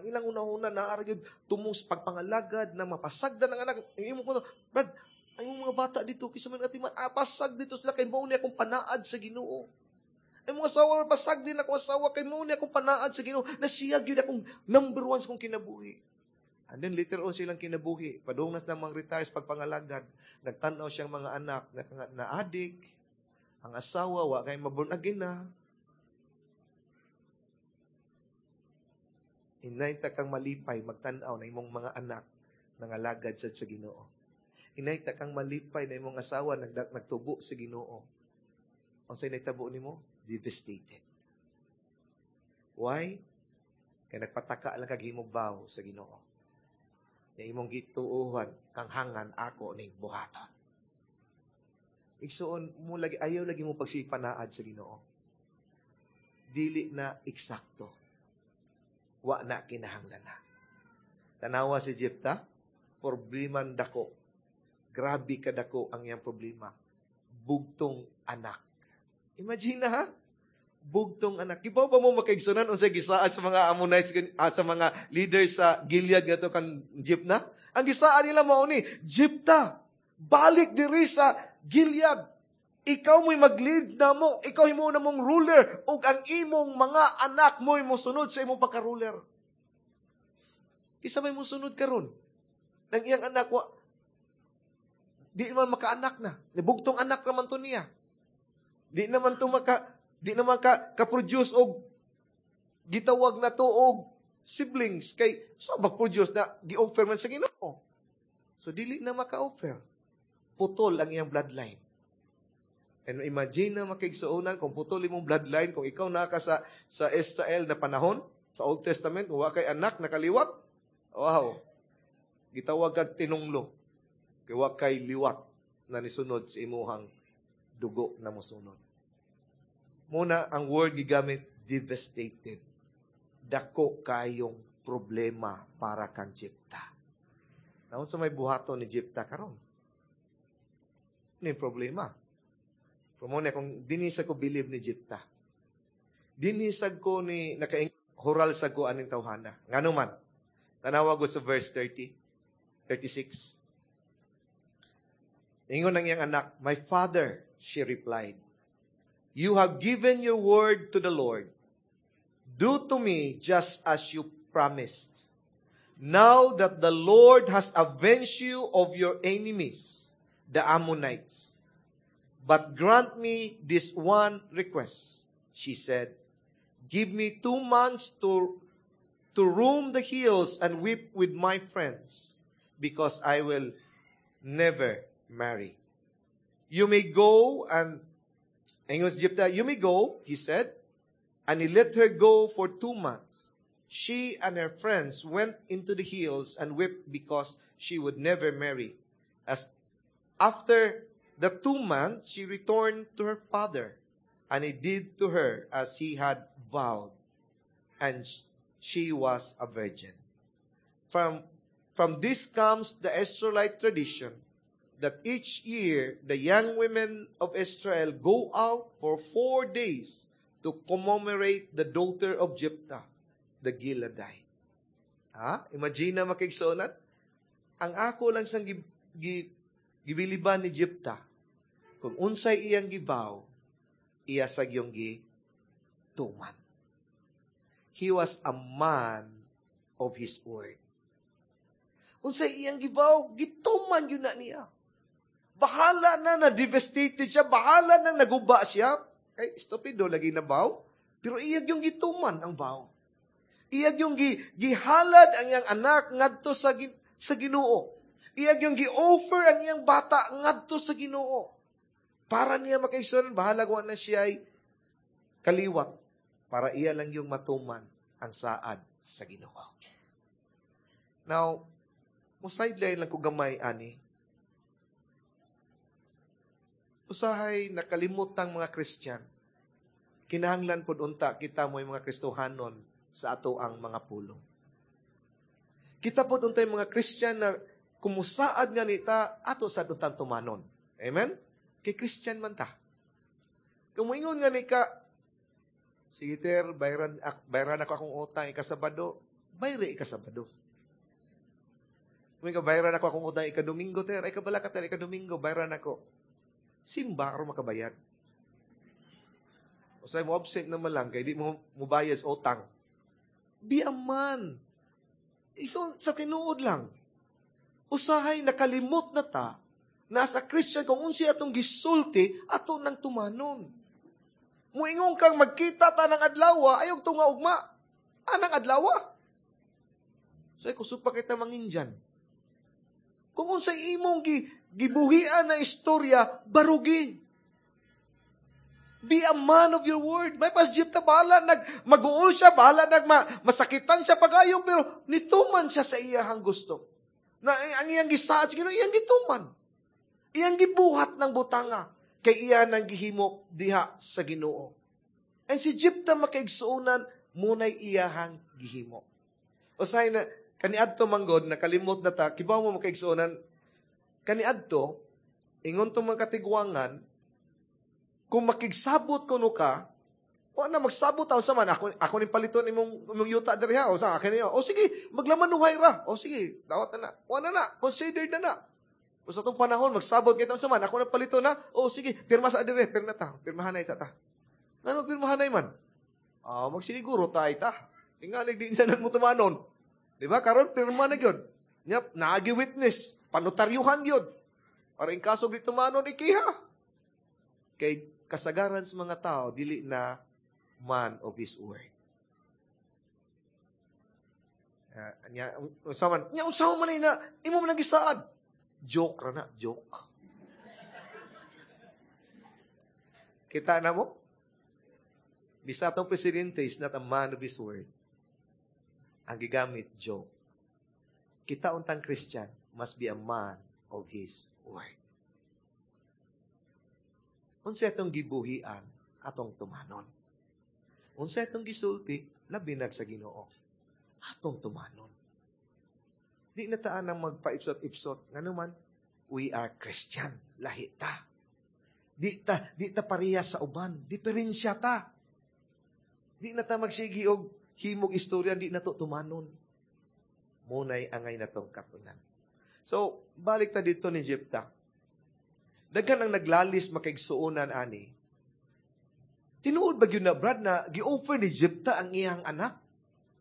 ilang unahuna naa gyud tumong sa pagpangalagad na mapasagdan ang anak. Ang imo ko, "Brad, ang imong mga bata dito, kisa man atiman, pasag dito sila kay mao ni akong panaad sa Ginoo. Ay mga asawa, pasag din ako asawa kay mao ni akong panaad sa Ginoo na siya gyud akong number one sa akong kinabuhi." And then later on silang kinabuhi, padung na silang mga retire sa pagpangalagad, nagtan-aw siyang mga anak na adik, ang asawa wa kay maborn again na. Inay ta kang malipay magtan-aw na imong mga anak nangalagad sad sa Ginoo. Inay ta kang malipay na imong asawa nagtubo sa Ginoo. Unsay nahitabo nimo? Devastated. Why? Kay nagpataka lang kag himog vow sa Ginoo. Na imong gituohan, kanghangan ako ning buhaton. Igsuon mo lagi, ayaw lagi mo pagsipanaad sa Ginoo. Dili na eksakto. Wa na kinahanglan na. Tanawa si Jepta, problema dako. Grabe ka dako ang iyang problema. Bugtong anak. Imagine na ha? Bugtong anak. Kibaw ba mo, makaigsunan, unsay gisaad sa mga Ammonites, sa mga leaders sa Gilead ngadto kang Jepta? Ang gisaad nila mao ni, "Jepta, balik diri sa Gilead. Ikaw mo'y mag-lead na mo. Ikaw himo na mong ruler. Ug ang imong mga anak mo'y mosunod sa imong pagka-ruler." Kinsa may mosunod karon? Nang iyang anak wa di man makaanak na. Nibugtong anak naman to niya. Di naman ka ka-produce og gitawag na to og siblings kay so mag-produce na gi-offer man sa Ginoo. So dili na maka-offer. Putol ang iyang bloodline. And imagine na, makaigsuonan, kung putol imong bloodline, kung ikaw naa ka sa Israel na panahon, sa Old Testament, kung wa kay anak nakaliwat, wow, gitawag kag tinunglo. Kay wa kay liwat na nisunod sa imuhang dugo na mosunod. Muna, ang word gigamit, devastated. Dako kayong problema para kang Jepta. Naunsa may buhaton ni Jepta karon? Ano yung problema? Pero muna, kung dinhi sa ko believe ni Jepta, dinhi sa ko ni nakahural sa ko aning tawhana. Ngano man? Tanawa ko sa verse 30, 36. Ingon ang iyang anak, "My father," she replied, "you have given your word to the Lord. Do to me just as you promised, now that the Lord has avenged you of your enemies, the Ammonites. But grant me this one request," she said. "Give me 2 months to roam the hills and weep with my friends, because I will never marry." "You may go," and ingon si Jephthah, "You may go," he said. And he let her go for 2 months. She and her friends went into the hills and wept because she would never marry. As after the 2 months, she returned to her father, and he did to her as he had vowed. And she was a virgin. From this comes the Israelite tradition that each year the young women of Israel go out for 4 days to commemorate the daughter of Jephthah, the Gileadite. Ha? Imagine na, makaigsuonan. Ang ako lang sang gibiliban ni Jephthah, kung unsay iyang gi-vow, iya sa yung gituman. He was a man of his word. Unsay iyang gi-vow, gituman gyud na niya. Bahala na na devastated siya, bahala na naguba siya. Kay estupido lagi na vow. Pero iya yung gituman ang vow. Iya yung gihalad ang iyang anak ngadto sa Ginoo. Iya yung gi-offer ang iyang bata ngadto sa Ginoo. Para niya, makaigsuonan, bahala ko na siya ay kaliwat para iya lang yung matuman ang saad sa Ginoo. Now, mo sideline lang ko gamay ani. Usahay nakalimot ang mga Christian. Kinahanglan pod unta kita mo mga Kristohanon sa ato ang mga pulong. Kita pod untay mga Christian na kumusaad nga nita ato sa untang tumanon. Amen? Kay Christian man ta. Kung moingon nga ni ka, "Sige ter, bayran ako akong utang ikasabado," bayri ikasabado. Kung ka bayran ako akong utang ikadomingo ter, ay kabala ka ter, ikadomingo, bayran ako. Simba aron makabayad. Usay mo absent naman lang kay di mo mubayad sa utang. Be a man. Iso, sa tinuod lang. Usahay nakalimot na ta nasa Christian kung unsi atong gisulti ato nang tumanon. Muingon kang magkita ta ng adlaw, ayaw tunga ugma. Anang adlaw? So, kusog pa kita mangindyan. Kung unsay imong gibuhian na istorya, barugi. Be a man of your word. May pas Jepta, bahala nag maguol siya, bahala nag masakitan siya pagayo, pero nituman siya sa iyahang gusto. Na ang iyang gisaad sa Ginoo, iyang gituman. Iyang gibuhat ng butanga kay iya nang gihimo diha sa Ginoo. And si Jepta, makaigsuonan, munay iyahang gihimo. Usahay na kaniadto manggod nakalimot na ta, kibaw mo, makaigsuonan, kaniadto ingon tong mga katigwangan, kung makigsabot kuno ka, o na magsabot taon sa man ako ning paliton imong yuta diri ha, o sa akin niyo. O sige, maglamanuhay ra. O sige, dawat na na. O na na, considered na na. O sa atong panahon magsabot kay sa man, ako na palito na. O sige, pirma sa diri, pirma ta. Pirmahan na ita ta. Ngano pirmahan man? Ah, magsiniguro ta ita. Tingali di na mo tumanon. Di ba? Karon pirma na gyud. Nya naagi witness, panotaryuhan gyud. Para in kaso di tumanon, ikiha. Kay kasagaran sa mga tao dili na man of his word. Nya unsa man? Nya unsa man na imo man gisaad? Joke ra na, joke. Kita na mo? Bisa atong presidente is not a man of his word. Ang gigamit, joke. Kita untang Christian must be a man of his word. Unsa atong gibuhian, atong tumanon. Unsa atong gisulti, labi nag sa Ginoo, atong tumanon. Di na taan ang magpaipsot-ipsot. Ngano man, we are Christian. Lahi ta. Di ta pareha sa uban. Diferensya ta. Di na ta magsigi og himog istorya, di na to tumanon. Munay angay na tong katunan. So, balik ta dito ni Jepta. Daghan ang naglalis, makaigsuonan, ani. Tinuod ba gyud na, Brad, na gi-offer ni Jepta ang iyang anak?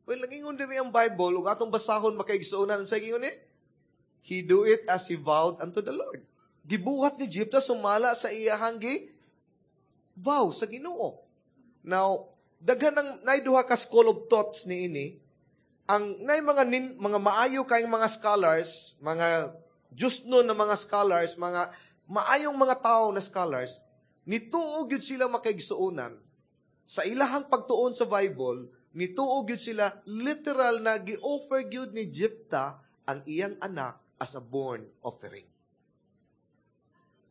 Well, nagingon diri ang Bible, ug atong basahon, makaigsuonan, sa ingon ni, "He do it as he vowed unto the Lord." Gibuhat ni Jepta sumala sa iyahang gi vow sa Ginoo. Now, daghan ang nay duha ka school of thoughts ni ini. Ang nay mga maayo kayong mga scholars, mga just no na mga scholars, mga maayong mga tao na scholars, nituo gyud sila, makaigsuonan, sa ilahang pagtuon sa Bible, nituo gyud sila literal na gi-offer gyud ni Jepta ang iyang anak as a burnt offering.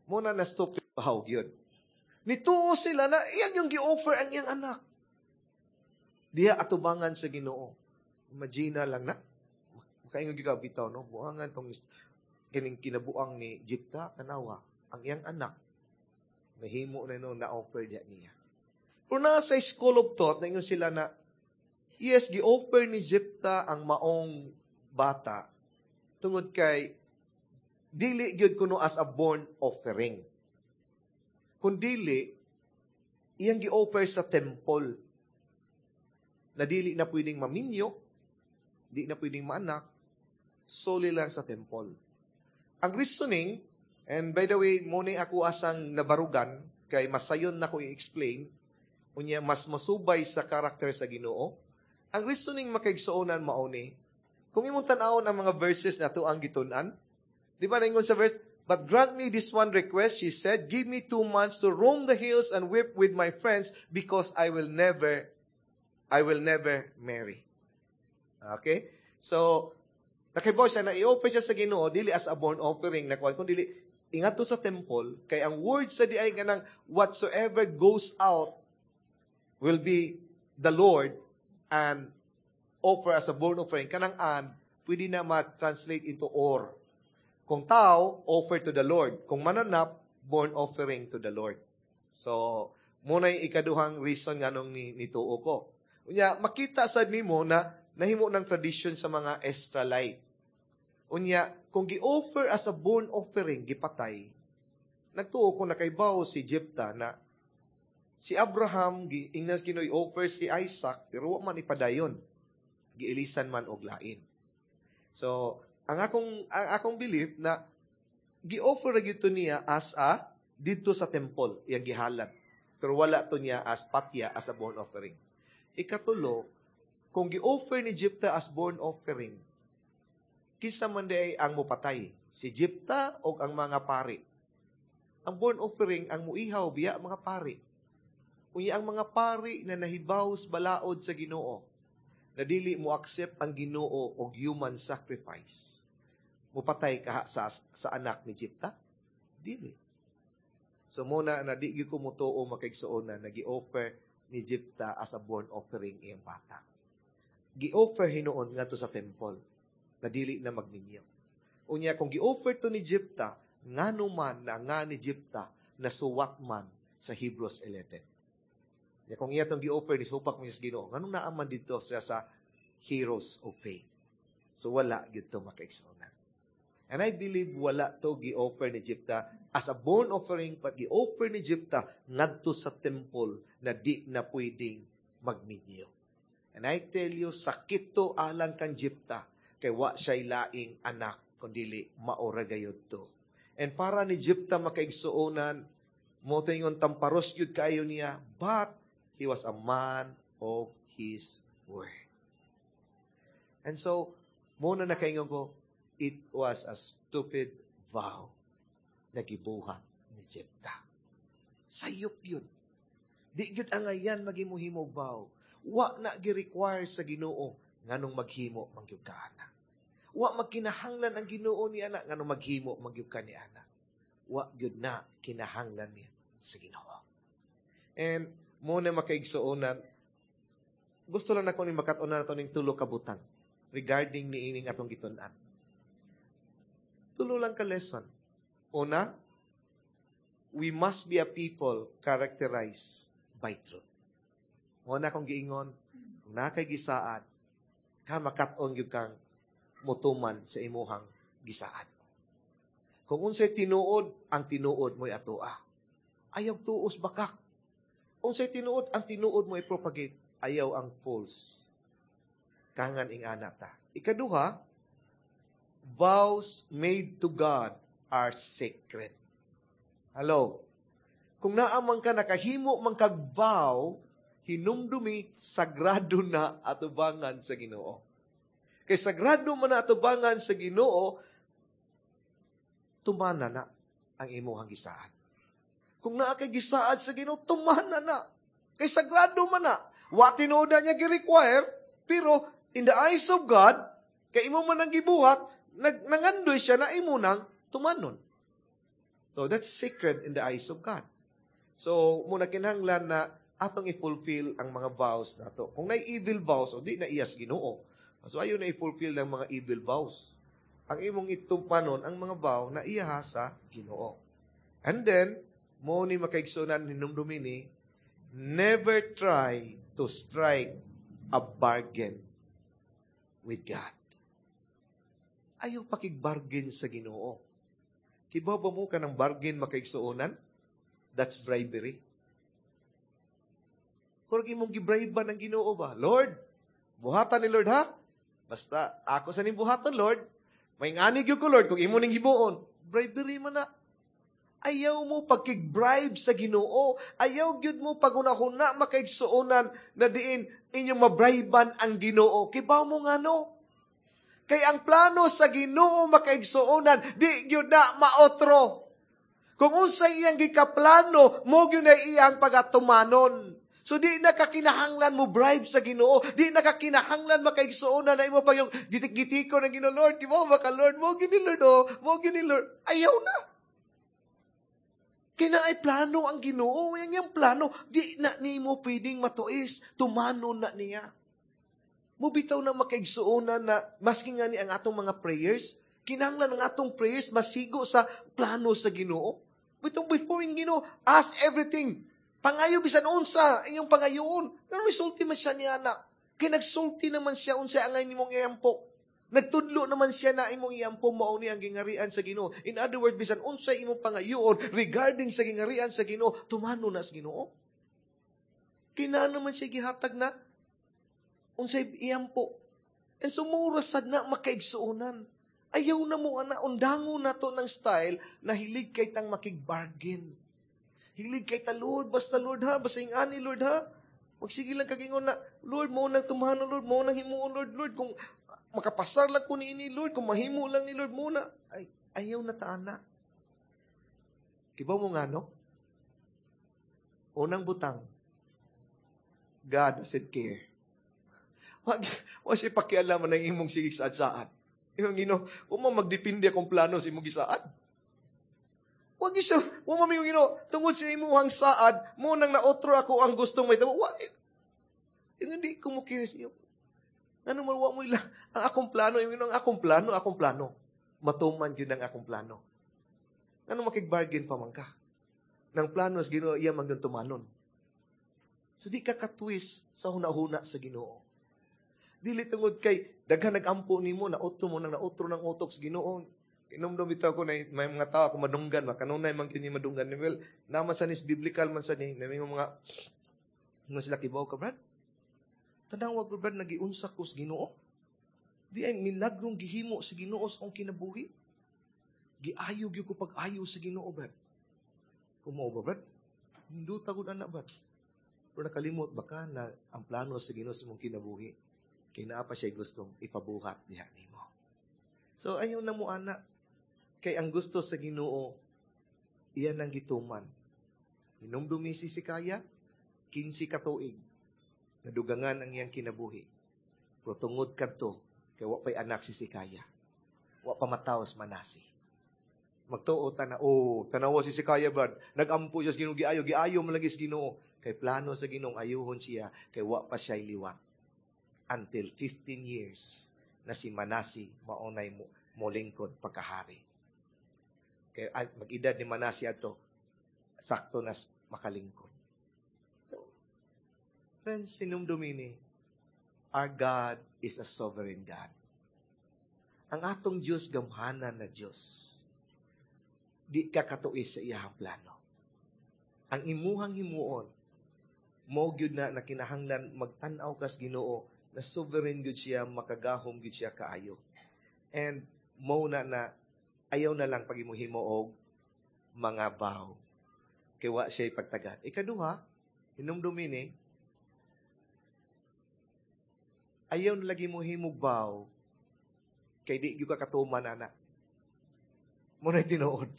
Muna na stop bahaw gyud. Nituo sila na iyang yung gi-offer ang iyang anak. Diha atubangan sa Ginoo. Imagine lang na. Makaingon gyud ka bitaw, no? Buangan tong kining kinabuang ni Jepta, tanawa ang iyang anak nahimo na no na offer diya niya. Pero nasa school of thought na ingon sila na yes, gi-offer ni Jepta ang maong bata tungod kay dili gyud kuno as a burnt offering. Kung dili, iyang gi-offer sa temple na dili na pwedeng maminyo, di na pwedeng maanak, solely lang sa temple. Ang reasoning, and by the way, muna ako asang nabarugan, kay masayon na ko i-explain, unya mas masubay sa karakter sa Ginoo. Ang reasoning, makaigsuonan, mauni, kung imong tan-awon ang mga verses na to ang gitun-an, di ba naingon sa verse, "But grant me this one request," she said, "give me 2 months to roam the hills and weep with my friends because I will never marry." Okay? So, nakibaw siya na i-offer siya sa Ginoo dili as a burnt offering na kuan, kundi ingat to sa temple, kay ang word sa di ay ganang whatsoever goes out will be the Lord and offer as a burnt offering. Kanang "and" pwede na ma-translate into "or." Kung tao, offer to the Lord. Kung mananap, burnt offering to the Lord. So, muna yung ikaduhang reason nga nung nituo ko. Unya, makita sad nimo na nahimo ng tradition sa mga Israelite. Unya, kung gi-offer as a burnt offering, gipatay, nagtuo ko nakaibaw si Jepta na si Abraham, giingnas Ginoo offer si Isaac, pero wa man ipadayon. Giilisan man og lain. So, ang akong belief na gi-offer ra gyud to niya as a didto sa temple, iyang gihalad. Pero wala to niya as patya, as a burnt offering. Ikatulo, kung gi-offer ni Jepta as burnt offering, kinsa man di ang mupatay? Si Jepta o ang mga pari? Ang burnt offering, ang muihaw biya mga pari. Unya ang mga pari na nahibaw sa balaod sa Ginoo, na dili mo accept ang Ginoo og human sacrifice, mupatay kaha sa anak ni Jepta? Dili. So mao na na di gyud ko motuo, makaigsuon, na nagi-offer ni Jepta as a burnt offering iyang bata. Gi-offer hinuon ngadto sa temple na dili na magminyo. Unya kung gi-offer to ni Jepta, ngano man na nga ni Jepta nasuwat man sa Hebrews 11? Ya kung iya tong gi-offer ni supak mo sa Ginoo, nganong naa man dito siya sa Heroes of Faith? So wala gyud to, makaigsuonan. And I believe wala to gi-offer ni Jepta as a burnt offering, but gi-offer ni Jepta ngadto sa temple na di na pwedeng magminyo. And I tell you, sakit to alang kang Jepta kay wa siya laing anak kundili mao ra gayud to. And para ni Jepta, makaigsuonan, mo tingon tamparos gyud kaayo niya, but he was a man of his word. And so, mao na nakaingon ko, it was a stupid vow na gibuhat ni Jepta. Sayop yun. Di gyud angayan maghimo-himo vow. Wa na gi-require sa Ginoo nganong maghimo man gyud ka ana. Wa magkinahanglan ang Ginoo ni ana nganong maghimo man gyud ka ni ana. Wa gyud na kinahanglan niya sa Ginoo. And mao na, makaigsuonan, gusto lang nako ni makat-unan nato ning tulo ka butang regarding ni ining atong gitun-an. Tulo lang ka lesson. Una, we must be a people characterized by truth. Mao na akong giingon, kung naa kay gisaad, ka makat-on gyud kang mutuman sa imuhang gisaad. Kung unsay tinuod, ang tinuod mo'y atoa. Ayaw tuos bakak. Unsay tinuod, ang tinuod mo i-propagate. Ayaw ang false. Kangan ing ana ta. Ikaduha, vows made to God are sacred. Hello? Kung naa man ka nakahimo man kag vow, hinumdumi sagrado na atubangan sa Ginoo. Kay sagrado man na atubangan sa Ginoo, tumana na ang imuhang gisaad. Kung naa kay gisaad sa Ginoo, tumana na. Kay sagrado man na. Wa tinuod na niya gi-require, pero in the eyes of God, kay imo man ang gibuhat, nangandoy siya na imo nang tumanon. So that's sacred in the eyes of God. So mao na kinahanglan na atong i-fulfill ang mga vows nato. Kung naay evil vows, o di na iyas Ginoo. So ayaw na i-fulfill ng mga evil vows. Ang imong itupanon ang mga vow na iya sa Ginoo. And then, mao ni, makaigsunan, hinumdumi ni, never try to strike a bargain with God. Ayaw pakig-bargain sa Ginoo. Kibaw ba mo kanang bargain, makaigsuonan? That's bribery. Kung imong gibribe ng Ginoo ba? "Lord, buhatan ni Lord ha? Basta ako sa ning buhaton, Lord. May ngani gyud ko, Lord, kung imo ning himuon." Bribery man na. Ayaw mo pagkig-bribe sa Ginoo. Ayaw gyud mo paghuna-huna, makaigsuonan, na diin inyong mabriban ang Ginoo. Kibaw mo ngano? Kay ang plano sa Ginoo, makaigsuonan, di gyud na maotro. Kung unsay iyang gikaplano, mao gyud na iyang pagatumanon. So di na kakinahanglan mo bribe sa Ginoo, di na kakinahanglan, makaigsuonan, na imo pa yung gitik-gitiko ng Ginoo, "Lord, di mo baka Lord, mao gyud ni Lord oh, mao gyud ni Lord." Ayaw na. Kay naay plano ang Ginoo, yan yung plano, di na nimo pwedeng matuis, tumanon na niya. Mubitaw na, makaigsuonan, na maski nga ni ang atong mga prayers, kinahanglan ang atong prayers masigo sa plano sa Ginoo. Bitong before yung Ginoo, ask everything. Pangayo bisan unsa inyong pangayoon. Pero resulti man siya niya na. Kay nagsulti naman siya unsa angay nimong iampo. Nagtudlo naman siya na imong iampo mao ni ang gingarian sa Ginoo. In other words, bisan unsa imong pangayoon regarding sa gingarian sa Ginoo, tumano na sa Ginoo. Kina naman siya gihatag na unsay iampo. And so mura sad na, makaigsuonan. Ayaw na mo ana, undango na to ng style na hilig kay tang makig-bargain. Hilig kay ta, "Lord, basta Lord ha, basta yung ani Lord ha." Magsige lang kagingon na, "Lord, mao nang tumano, Lord, mao nang himuon, Lord, Lord, kung makapasar lang ko ni ini, Lord, kung mahimo lang ni Lord muna." Ay, ayaw na ta ana. Kibaw mo nga, no? Unang butang, God doesn't care. Wa siya pakialaman ng imong sige saad-saad. Imong Ginoo, wa mo magdepende akong plano sa imong gisaad. Wa gyud siya, wa mo mingon, "Ginoo, tungod sa imong saad, mo nang naotro ako ang gustong may tabo." Wa, yung hindi ko mo kinis iyo. Ano man, wa mo ila, ang akong plano, yung ang akong plano, akong plano. Matuman yun ang akong plano. Ano makig-bargain pa man ka? Nang plano sa Ginoo, iya man gyud tumanon. So di ka katwis sa huna-huna sa Ginoo. Dili tungod kay daghan nag-ampo nimo na otro mo nang naotro ng utok sa Ginoo. Inumdum bitaw ko na may mga tao ako madunggan, makanunay man kini madunggan. Well, naman sa nis biblical man sa ni, na may mga sila kibaw ka, "Brad. Tanawa ko, Brad, nagiunsa ko sa Ginoo. Di ay milagrong gihimo sa Ginoo sa akong kinabuhi. Giayo gyud ko pag-ayo sa Ginoo, Brad." Kumo ba, Brad? Hinduta gud anak, Brad. Pero nakalimot baka na ang plano sa Ginoo sa imong kinabuhi. Kay naa pa siya gustong ipabuhat diha nimo. So ayaw na mo ana. Kay ang gusto sa Ginoo, iyan ang gituman. Hinumdumi si Hezekiah, 15 ka tuig, nadugangan ang iyang kinabuhi. Pero tungod kadto, kay wa pa'y anak si Hezekiah. Wa pa mataos Manasi. Magtuo ta na, "Oh, tanawa si Hezekiah, Brad. Nag-ampo siya sa Ginoo, giayo, giayo man lagi sa Ginoo." Kay plano sa Ginoo ayuhon siya, kay wa pa siya liwat. Until 15 years na si Manasi maunay mo molingkod pagkahari. Kay mag-edad ni Manasi ato, sakto na makalingkod. So, friends, sinumdumini, our God is a sovereign God. Ang atong Diyos, gamhanan na Diyos. Di ka katuis sa iyahang plano. Ang imuhang himuon, mo gyud na kinahanglan magtan-aw kas Ginoo na sovereign gyud siya, makagahom gyud siya kaayo. And mo na na ayaw na lang pag himo og mga vow. Kay wa siya pagtagad. Ikaduha, hinumdumi ni, ayaw na lagi mo himog vow kay di gyud ka katuman ana. Mo na tinuod.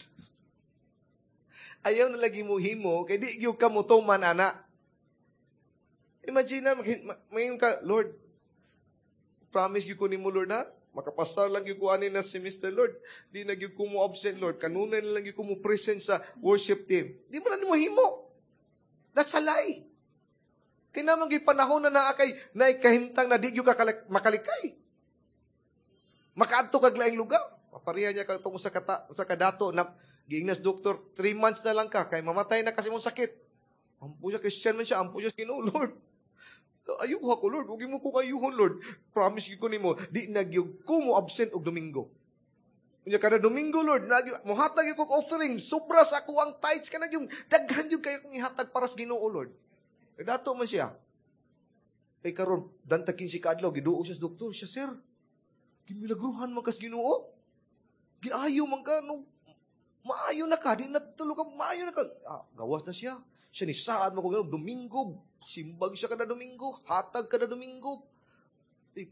Ayaw na lagi mo himo kay di gyud ka motuman ana. Imagine na mayon ka, "Lord, promise gyud ko nimo, Lord, ha? Makapasar lang gyud ko ani na semester, Lord. Di na gyud ko mo absent, Lord. Kanunay na lang gyud ko mo present sa worship team." Di mo na nimo himo. That's a lie. Kay naman gyud panahon na naa kay naikahimtang na di gyud ka makalikay. Makaadto kag laing lugar. Mapareha niya ka tungkol sa kadato na giingnas doktor, 3 months na lang ka kay mamatay na kasi mong sakit. Ampo siya, Christian man siya, ampo siya, Ginoo, "Lord. Ayuha ko, Lord. Huwag mo ko kayuhon, Lord. Promise ko nimo, di na gyud ko mo absent og Domingo. Unya kada Domingo, Lord, mohatag ko offering, sobra sa ako ang tithes kana yung daghan yung kayo kong ihatag para sa Ginoo, Lord." Dato man siya. Kay karon dantakin si kaadlaw, giduo siya sa doktor, siya, "Sir, gimilagruhan man kas Ginoo. Giayo man ka no, maayo na ka, di na tulo ka, maayo na ka." Ah, gawas na siya. Siya ni saad mo ko Domingo, simbag siya kada Domingo, hatag kada Domingo. Eh,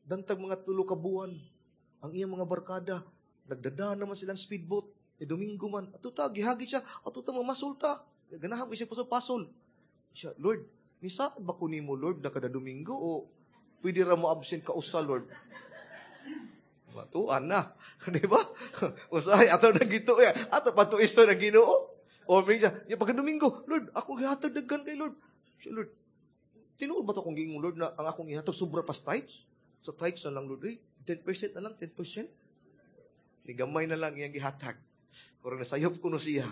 dantag mga 3 ka buwan, ang iyang mga barkada, nagdada naman silang speedboat. Eh, Domingo man, ato ta, gihagi siya, ato ta, mamasulta. Ganahan ko siya pasol-pasol. Siya, "Lord, ni saad ba ko nimo, Lord, na kada Domingo, o pwede ra mo absent ka usa, Lord?" Matuan na. Di ba? Usahay, ato na gito, eh. Ato patuisto na Ginoo. O minsan, yung pagka Domingo, "Lord, ako gihatag daghan kay Lord." Siya, "Lord, tinuod ba ito akong giingon, Lord, na ang akong ihatag sobra pa sa tithes? Sa tithes na lang, Lord, eh, 10% na lang, 10%." Ni gamay na lang iyang gihatag. Pero nasayop ko no siya.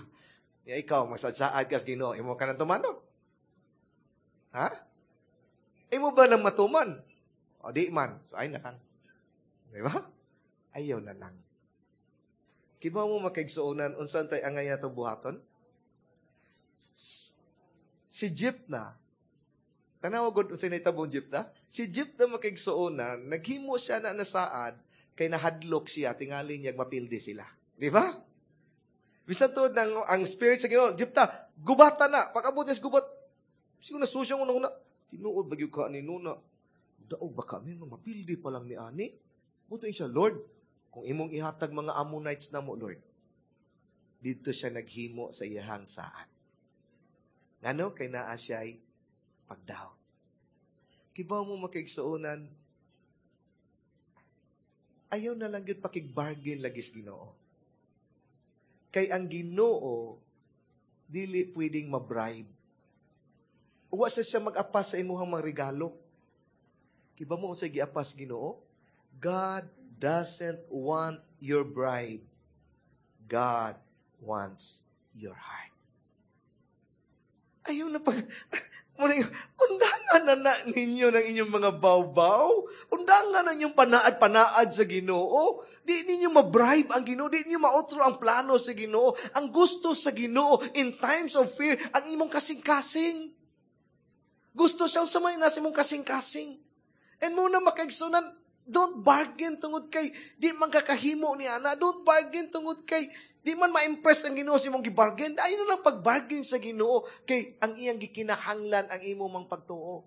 Ya ikaw, magsadsaad kas Ginoo, imo ka nang tumanon. Ha? Imo ba nang matuman? O di man. So ay na lang. Di ba? Ayaw na lang. Kibaw mo makaigsuonan, unsan tay angay nato buhaton? Si Jephthah, tanawa gud unsay nahitabong Jephthah? Si Jephthah makaigsuonan, naghimo siya na nasaad, kay nahadlok siya, tingali niya mapildi sila. Di ba? Bisan tuod ng ang spirit sa Ginoo, "Jephthah, gubata na." Pag-abot niya sa gubat, siguro nasusya una-una, "Tinuod ba gyud ka ni Nuna? Daog ba kami, mapildi pa lang ni ani?" Buto siya, "Lord, kung imong ihatag mga Ammonites na mo, Lord." Dito siya naghimo sa iyahang saad. Ngano? Kay naa siya'y pagdaw. Kibaw mo, makaigsuonan, ayaw na lang gyud pakigbargain lagi sa Ginoo. Kay ang Ginoo dili pwedeng ma-bribe. Wa siya mag-apas sa imuhang mga regalo. Kibaw mo unsay giapas Ginoo? God doesn't want your bribe. God wants your heart. Ayaw na pag... Undangan na na ninyo ng inyong mga baw-baw. Undangan na inyong panaad-panaad sa Ginoo. Di ninyo ma-bribe ang Ginoo. Di ninyo maotro ang plano sa Ginoo. Ang gusto sa Ginoo in times of fear, ang imong kasing-kasing. Gusto siya sa may nasa imong kasing-kasing. And mao na, makaigsuonan, don't bargain tungod kay di man kakahimo ni ana. Don't bargain tungod kay di man ma-impress ang Ginoo sa imong gibargain. Ayaw na lang pag-bargain sa Ginoo kay ang iyang gikinahanglan ang imo mang pagtuo.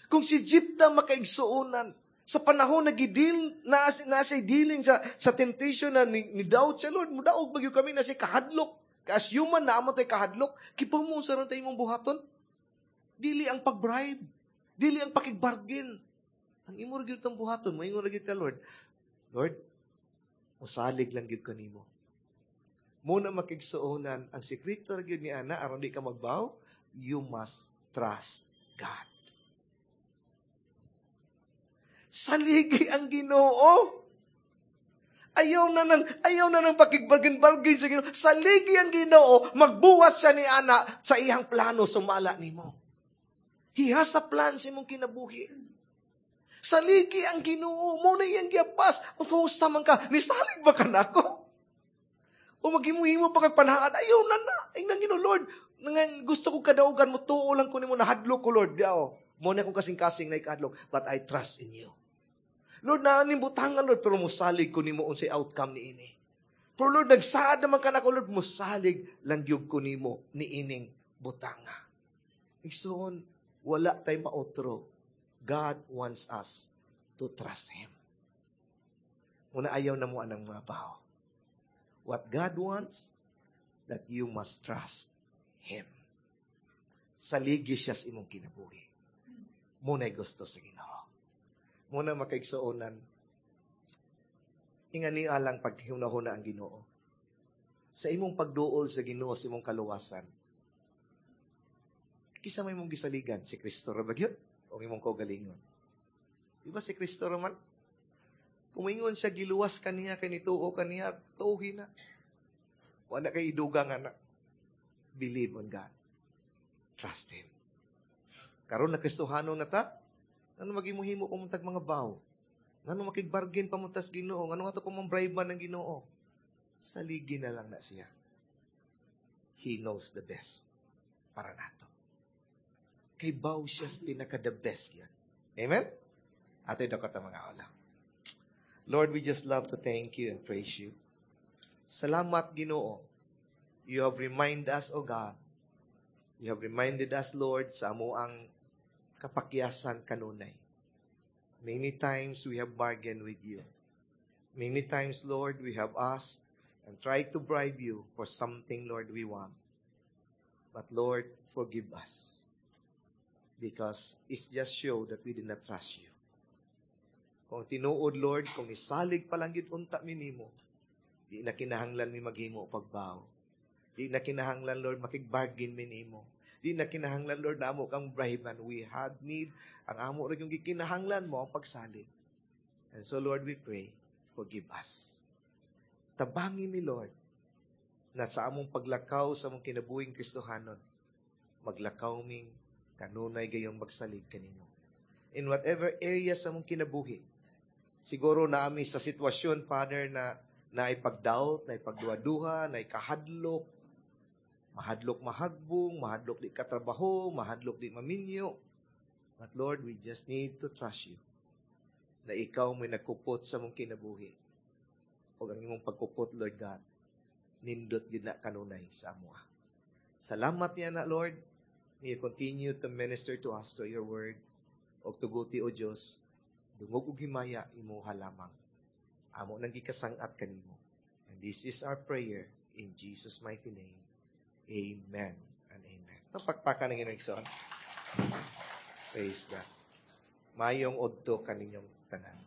Kung si Jepta, makaigsuonan, sa panahon na gidil na na siya dealing sa temptation na ni doubt siya, "Lord, mudaog ba gyud kami?" Na siya kahadlok. As human na amo tay kahadlok, kibaw mo unsa ron tay imong buhaton? Dili ang pag-bribe. Dili ang pakigbargain. Ang imo ra gyud tang buhaton, moingon ra gyud ka, "Lord, Lord, musalig lang gyud kanimo." Mao na, makaigsuonan, ang sekreto ra gyud ni ana aron di ka magbaw, you must trust God. Saligi ang Ginoo. Ayaw na nang pakigbargain-bargain sa Ginoo. Saligi ang Ginoo, magbuhat siya ni ana sa iyang plano sumala nimo. He has a plan sa imong kinabuhi. Saligi ang Ginoo, mao na iyang giapas. O kumusta man ka? Nisalig ba ka nako? O maghimo-himo pa kay panaad, ayaw na na. Ay nang Ginoo, "Lord, nang gusto ko kadaugan mo, tuo lang ko nimo, nahadlok ko, Lord." Diao. Mao na akong kasing-kasing na ikadlok, but I trust in you. "Lord, naaning butangan, Lord, pero musalig ko nimo unsay outcome ni ini. Pero Lord, nagsaad naman ka nako, Lord, musalig lang gyud ko nimo ni ining butanga." Igsoon, wala tay maotro. God wants us to trust Him. Una, ayaw na mo anang mga bao. What God wants, that you must trust Him. Saligi siya sa imong kinabuhi. Mao na'y gusto sa Ginoo. Mao na, makaigsuonan, ingani alang paghunahuna ang Ginoo. Sa imong pagduol sa Ginoo sa imong kaluwasan, kinsa may imong gisaligan? Si Kristo ra ba gyud? O imong kaugalingon? Di ba si Kristo ra man? Kung ingon siya, giluwas ka niya, kay nituo ka niya, tuuhi na. Wala kay idugang anak. Believe on God. Trust Him. Karon na Kristohano na ta, ano magimuhimo pa tag mga baw? Ngano makigbargain pa mo tas Ginoo? Ngano ato pa mong bribe man ng Ginoo? Saligi na lang na siya. He knows the best para nato. Kay baw siya sa pinaka the best yan. Amen? Ate dakot ang mga wala. Lord, we just love to thank you and praise you. Salamat, Ginoo. You have reminded us, O God. You have reminded us, Lord, sa amoang kapakyasan kanunay. Many times we have bargained with you. Many times, Lord, we have asked and tried to bribe you for something, Lord, we want. But Lord, forgive us. Because it just show that we did not trust you. Kung tinuod, Lord, kung isalig pa lang gyud unta mi nimo, di na kinahanglan mi maghimo pagbaw. Di na kinahanglan, Lord, makigbargain mi nimo. Di na kinahanglan, Lord, na amo kang bribe. We had need, ang amo ra yung gikinahanglan mao ang pagsalig. And so, Lord, we pray, forgive us. Tabangi mi, Lord, na sa among paglakaw sa among kinabuhing Kristohanon, maglakaw ming kanunay gayong magsalig kanimo. In whatever area sa among kinabuhi, siguro na ami sa sitwasyon, Father, na naipag-doubt, naipagduha-duha, naikahadlok, mahadlok mahagbong, mahadlok di katrabaho, mahadlok di maminyo. But Lord, we just need to trust you na ikaw may nagkupot sa mong kinabuhi. O ang imong pagkupot, Lord God, nindot gyud na kanunay sa amoa. Salamat niya na, Lord. May you continue to minister to us through your word. O tuguti, O Diyos, dungog og himaya imuha lamang. Amo nang gikasang-at kanimo. And this is our prayer in Jesus' mighty name. Amen and amen. Ang pakpakan ng Ginoo. Praise God. Maayong udto kaninyong tanan.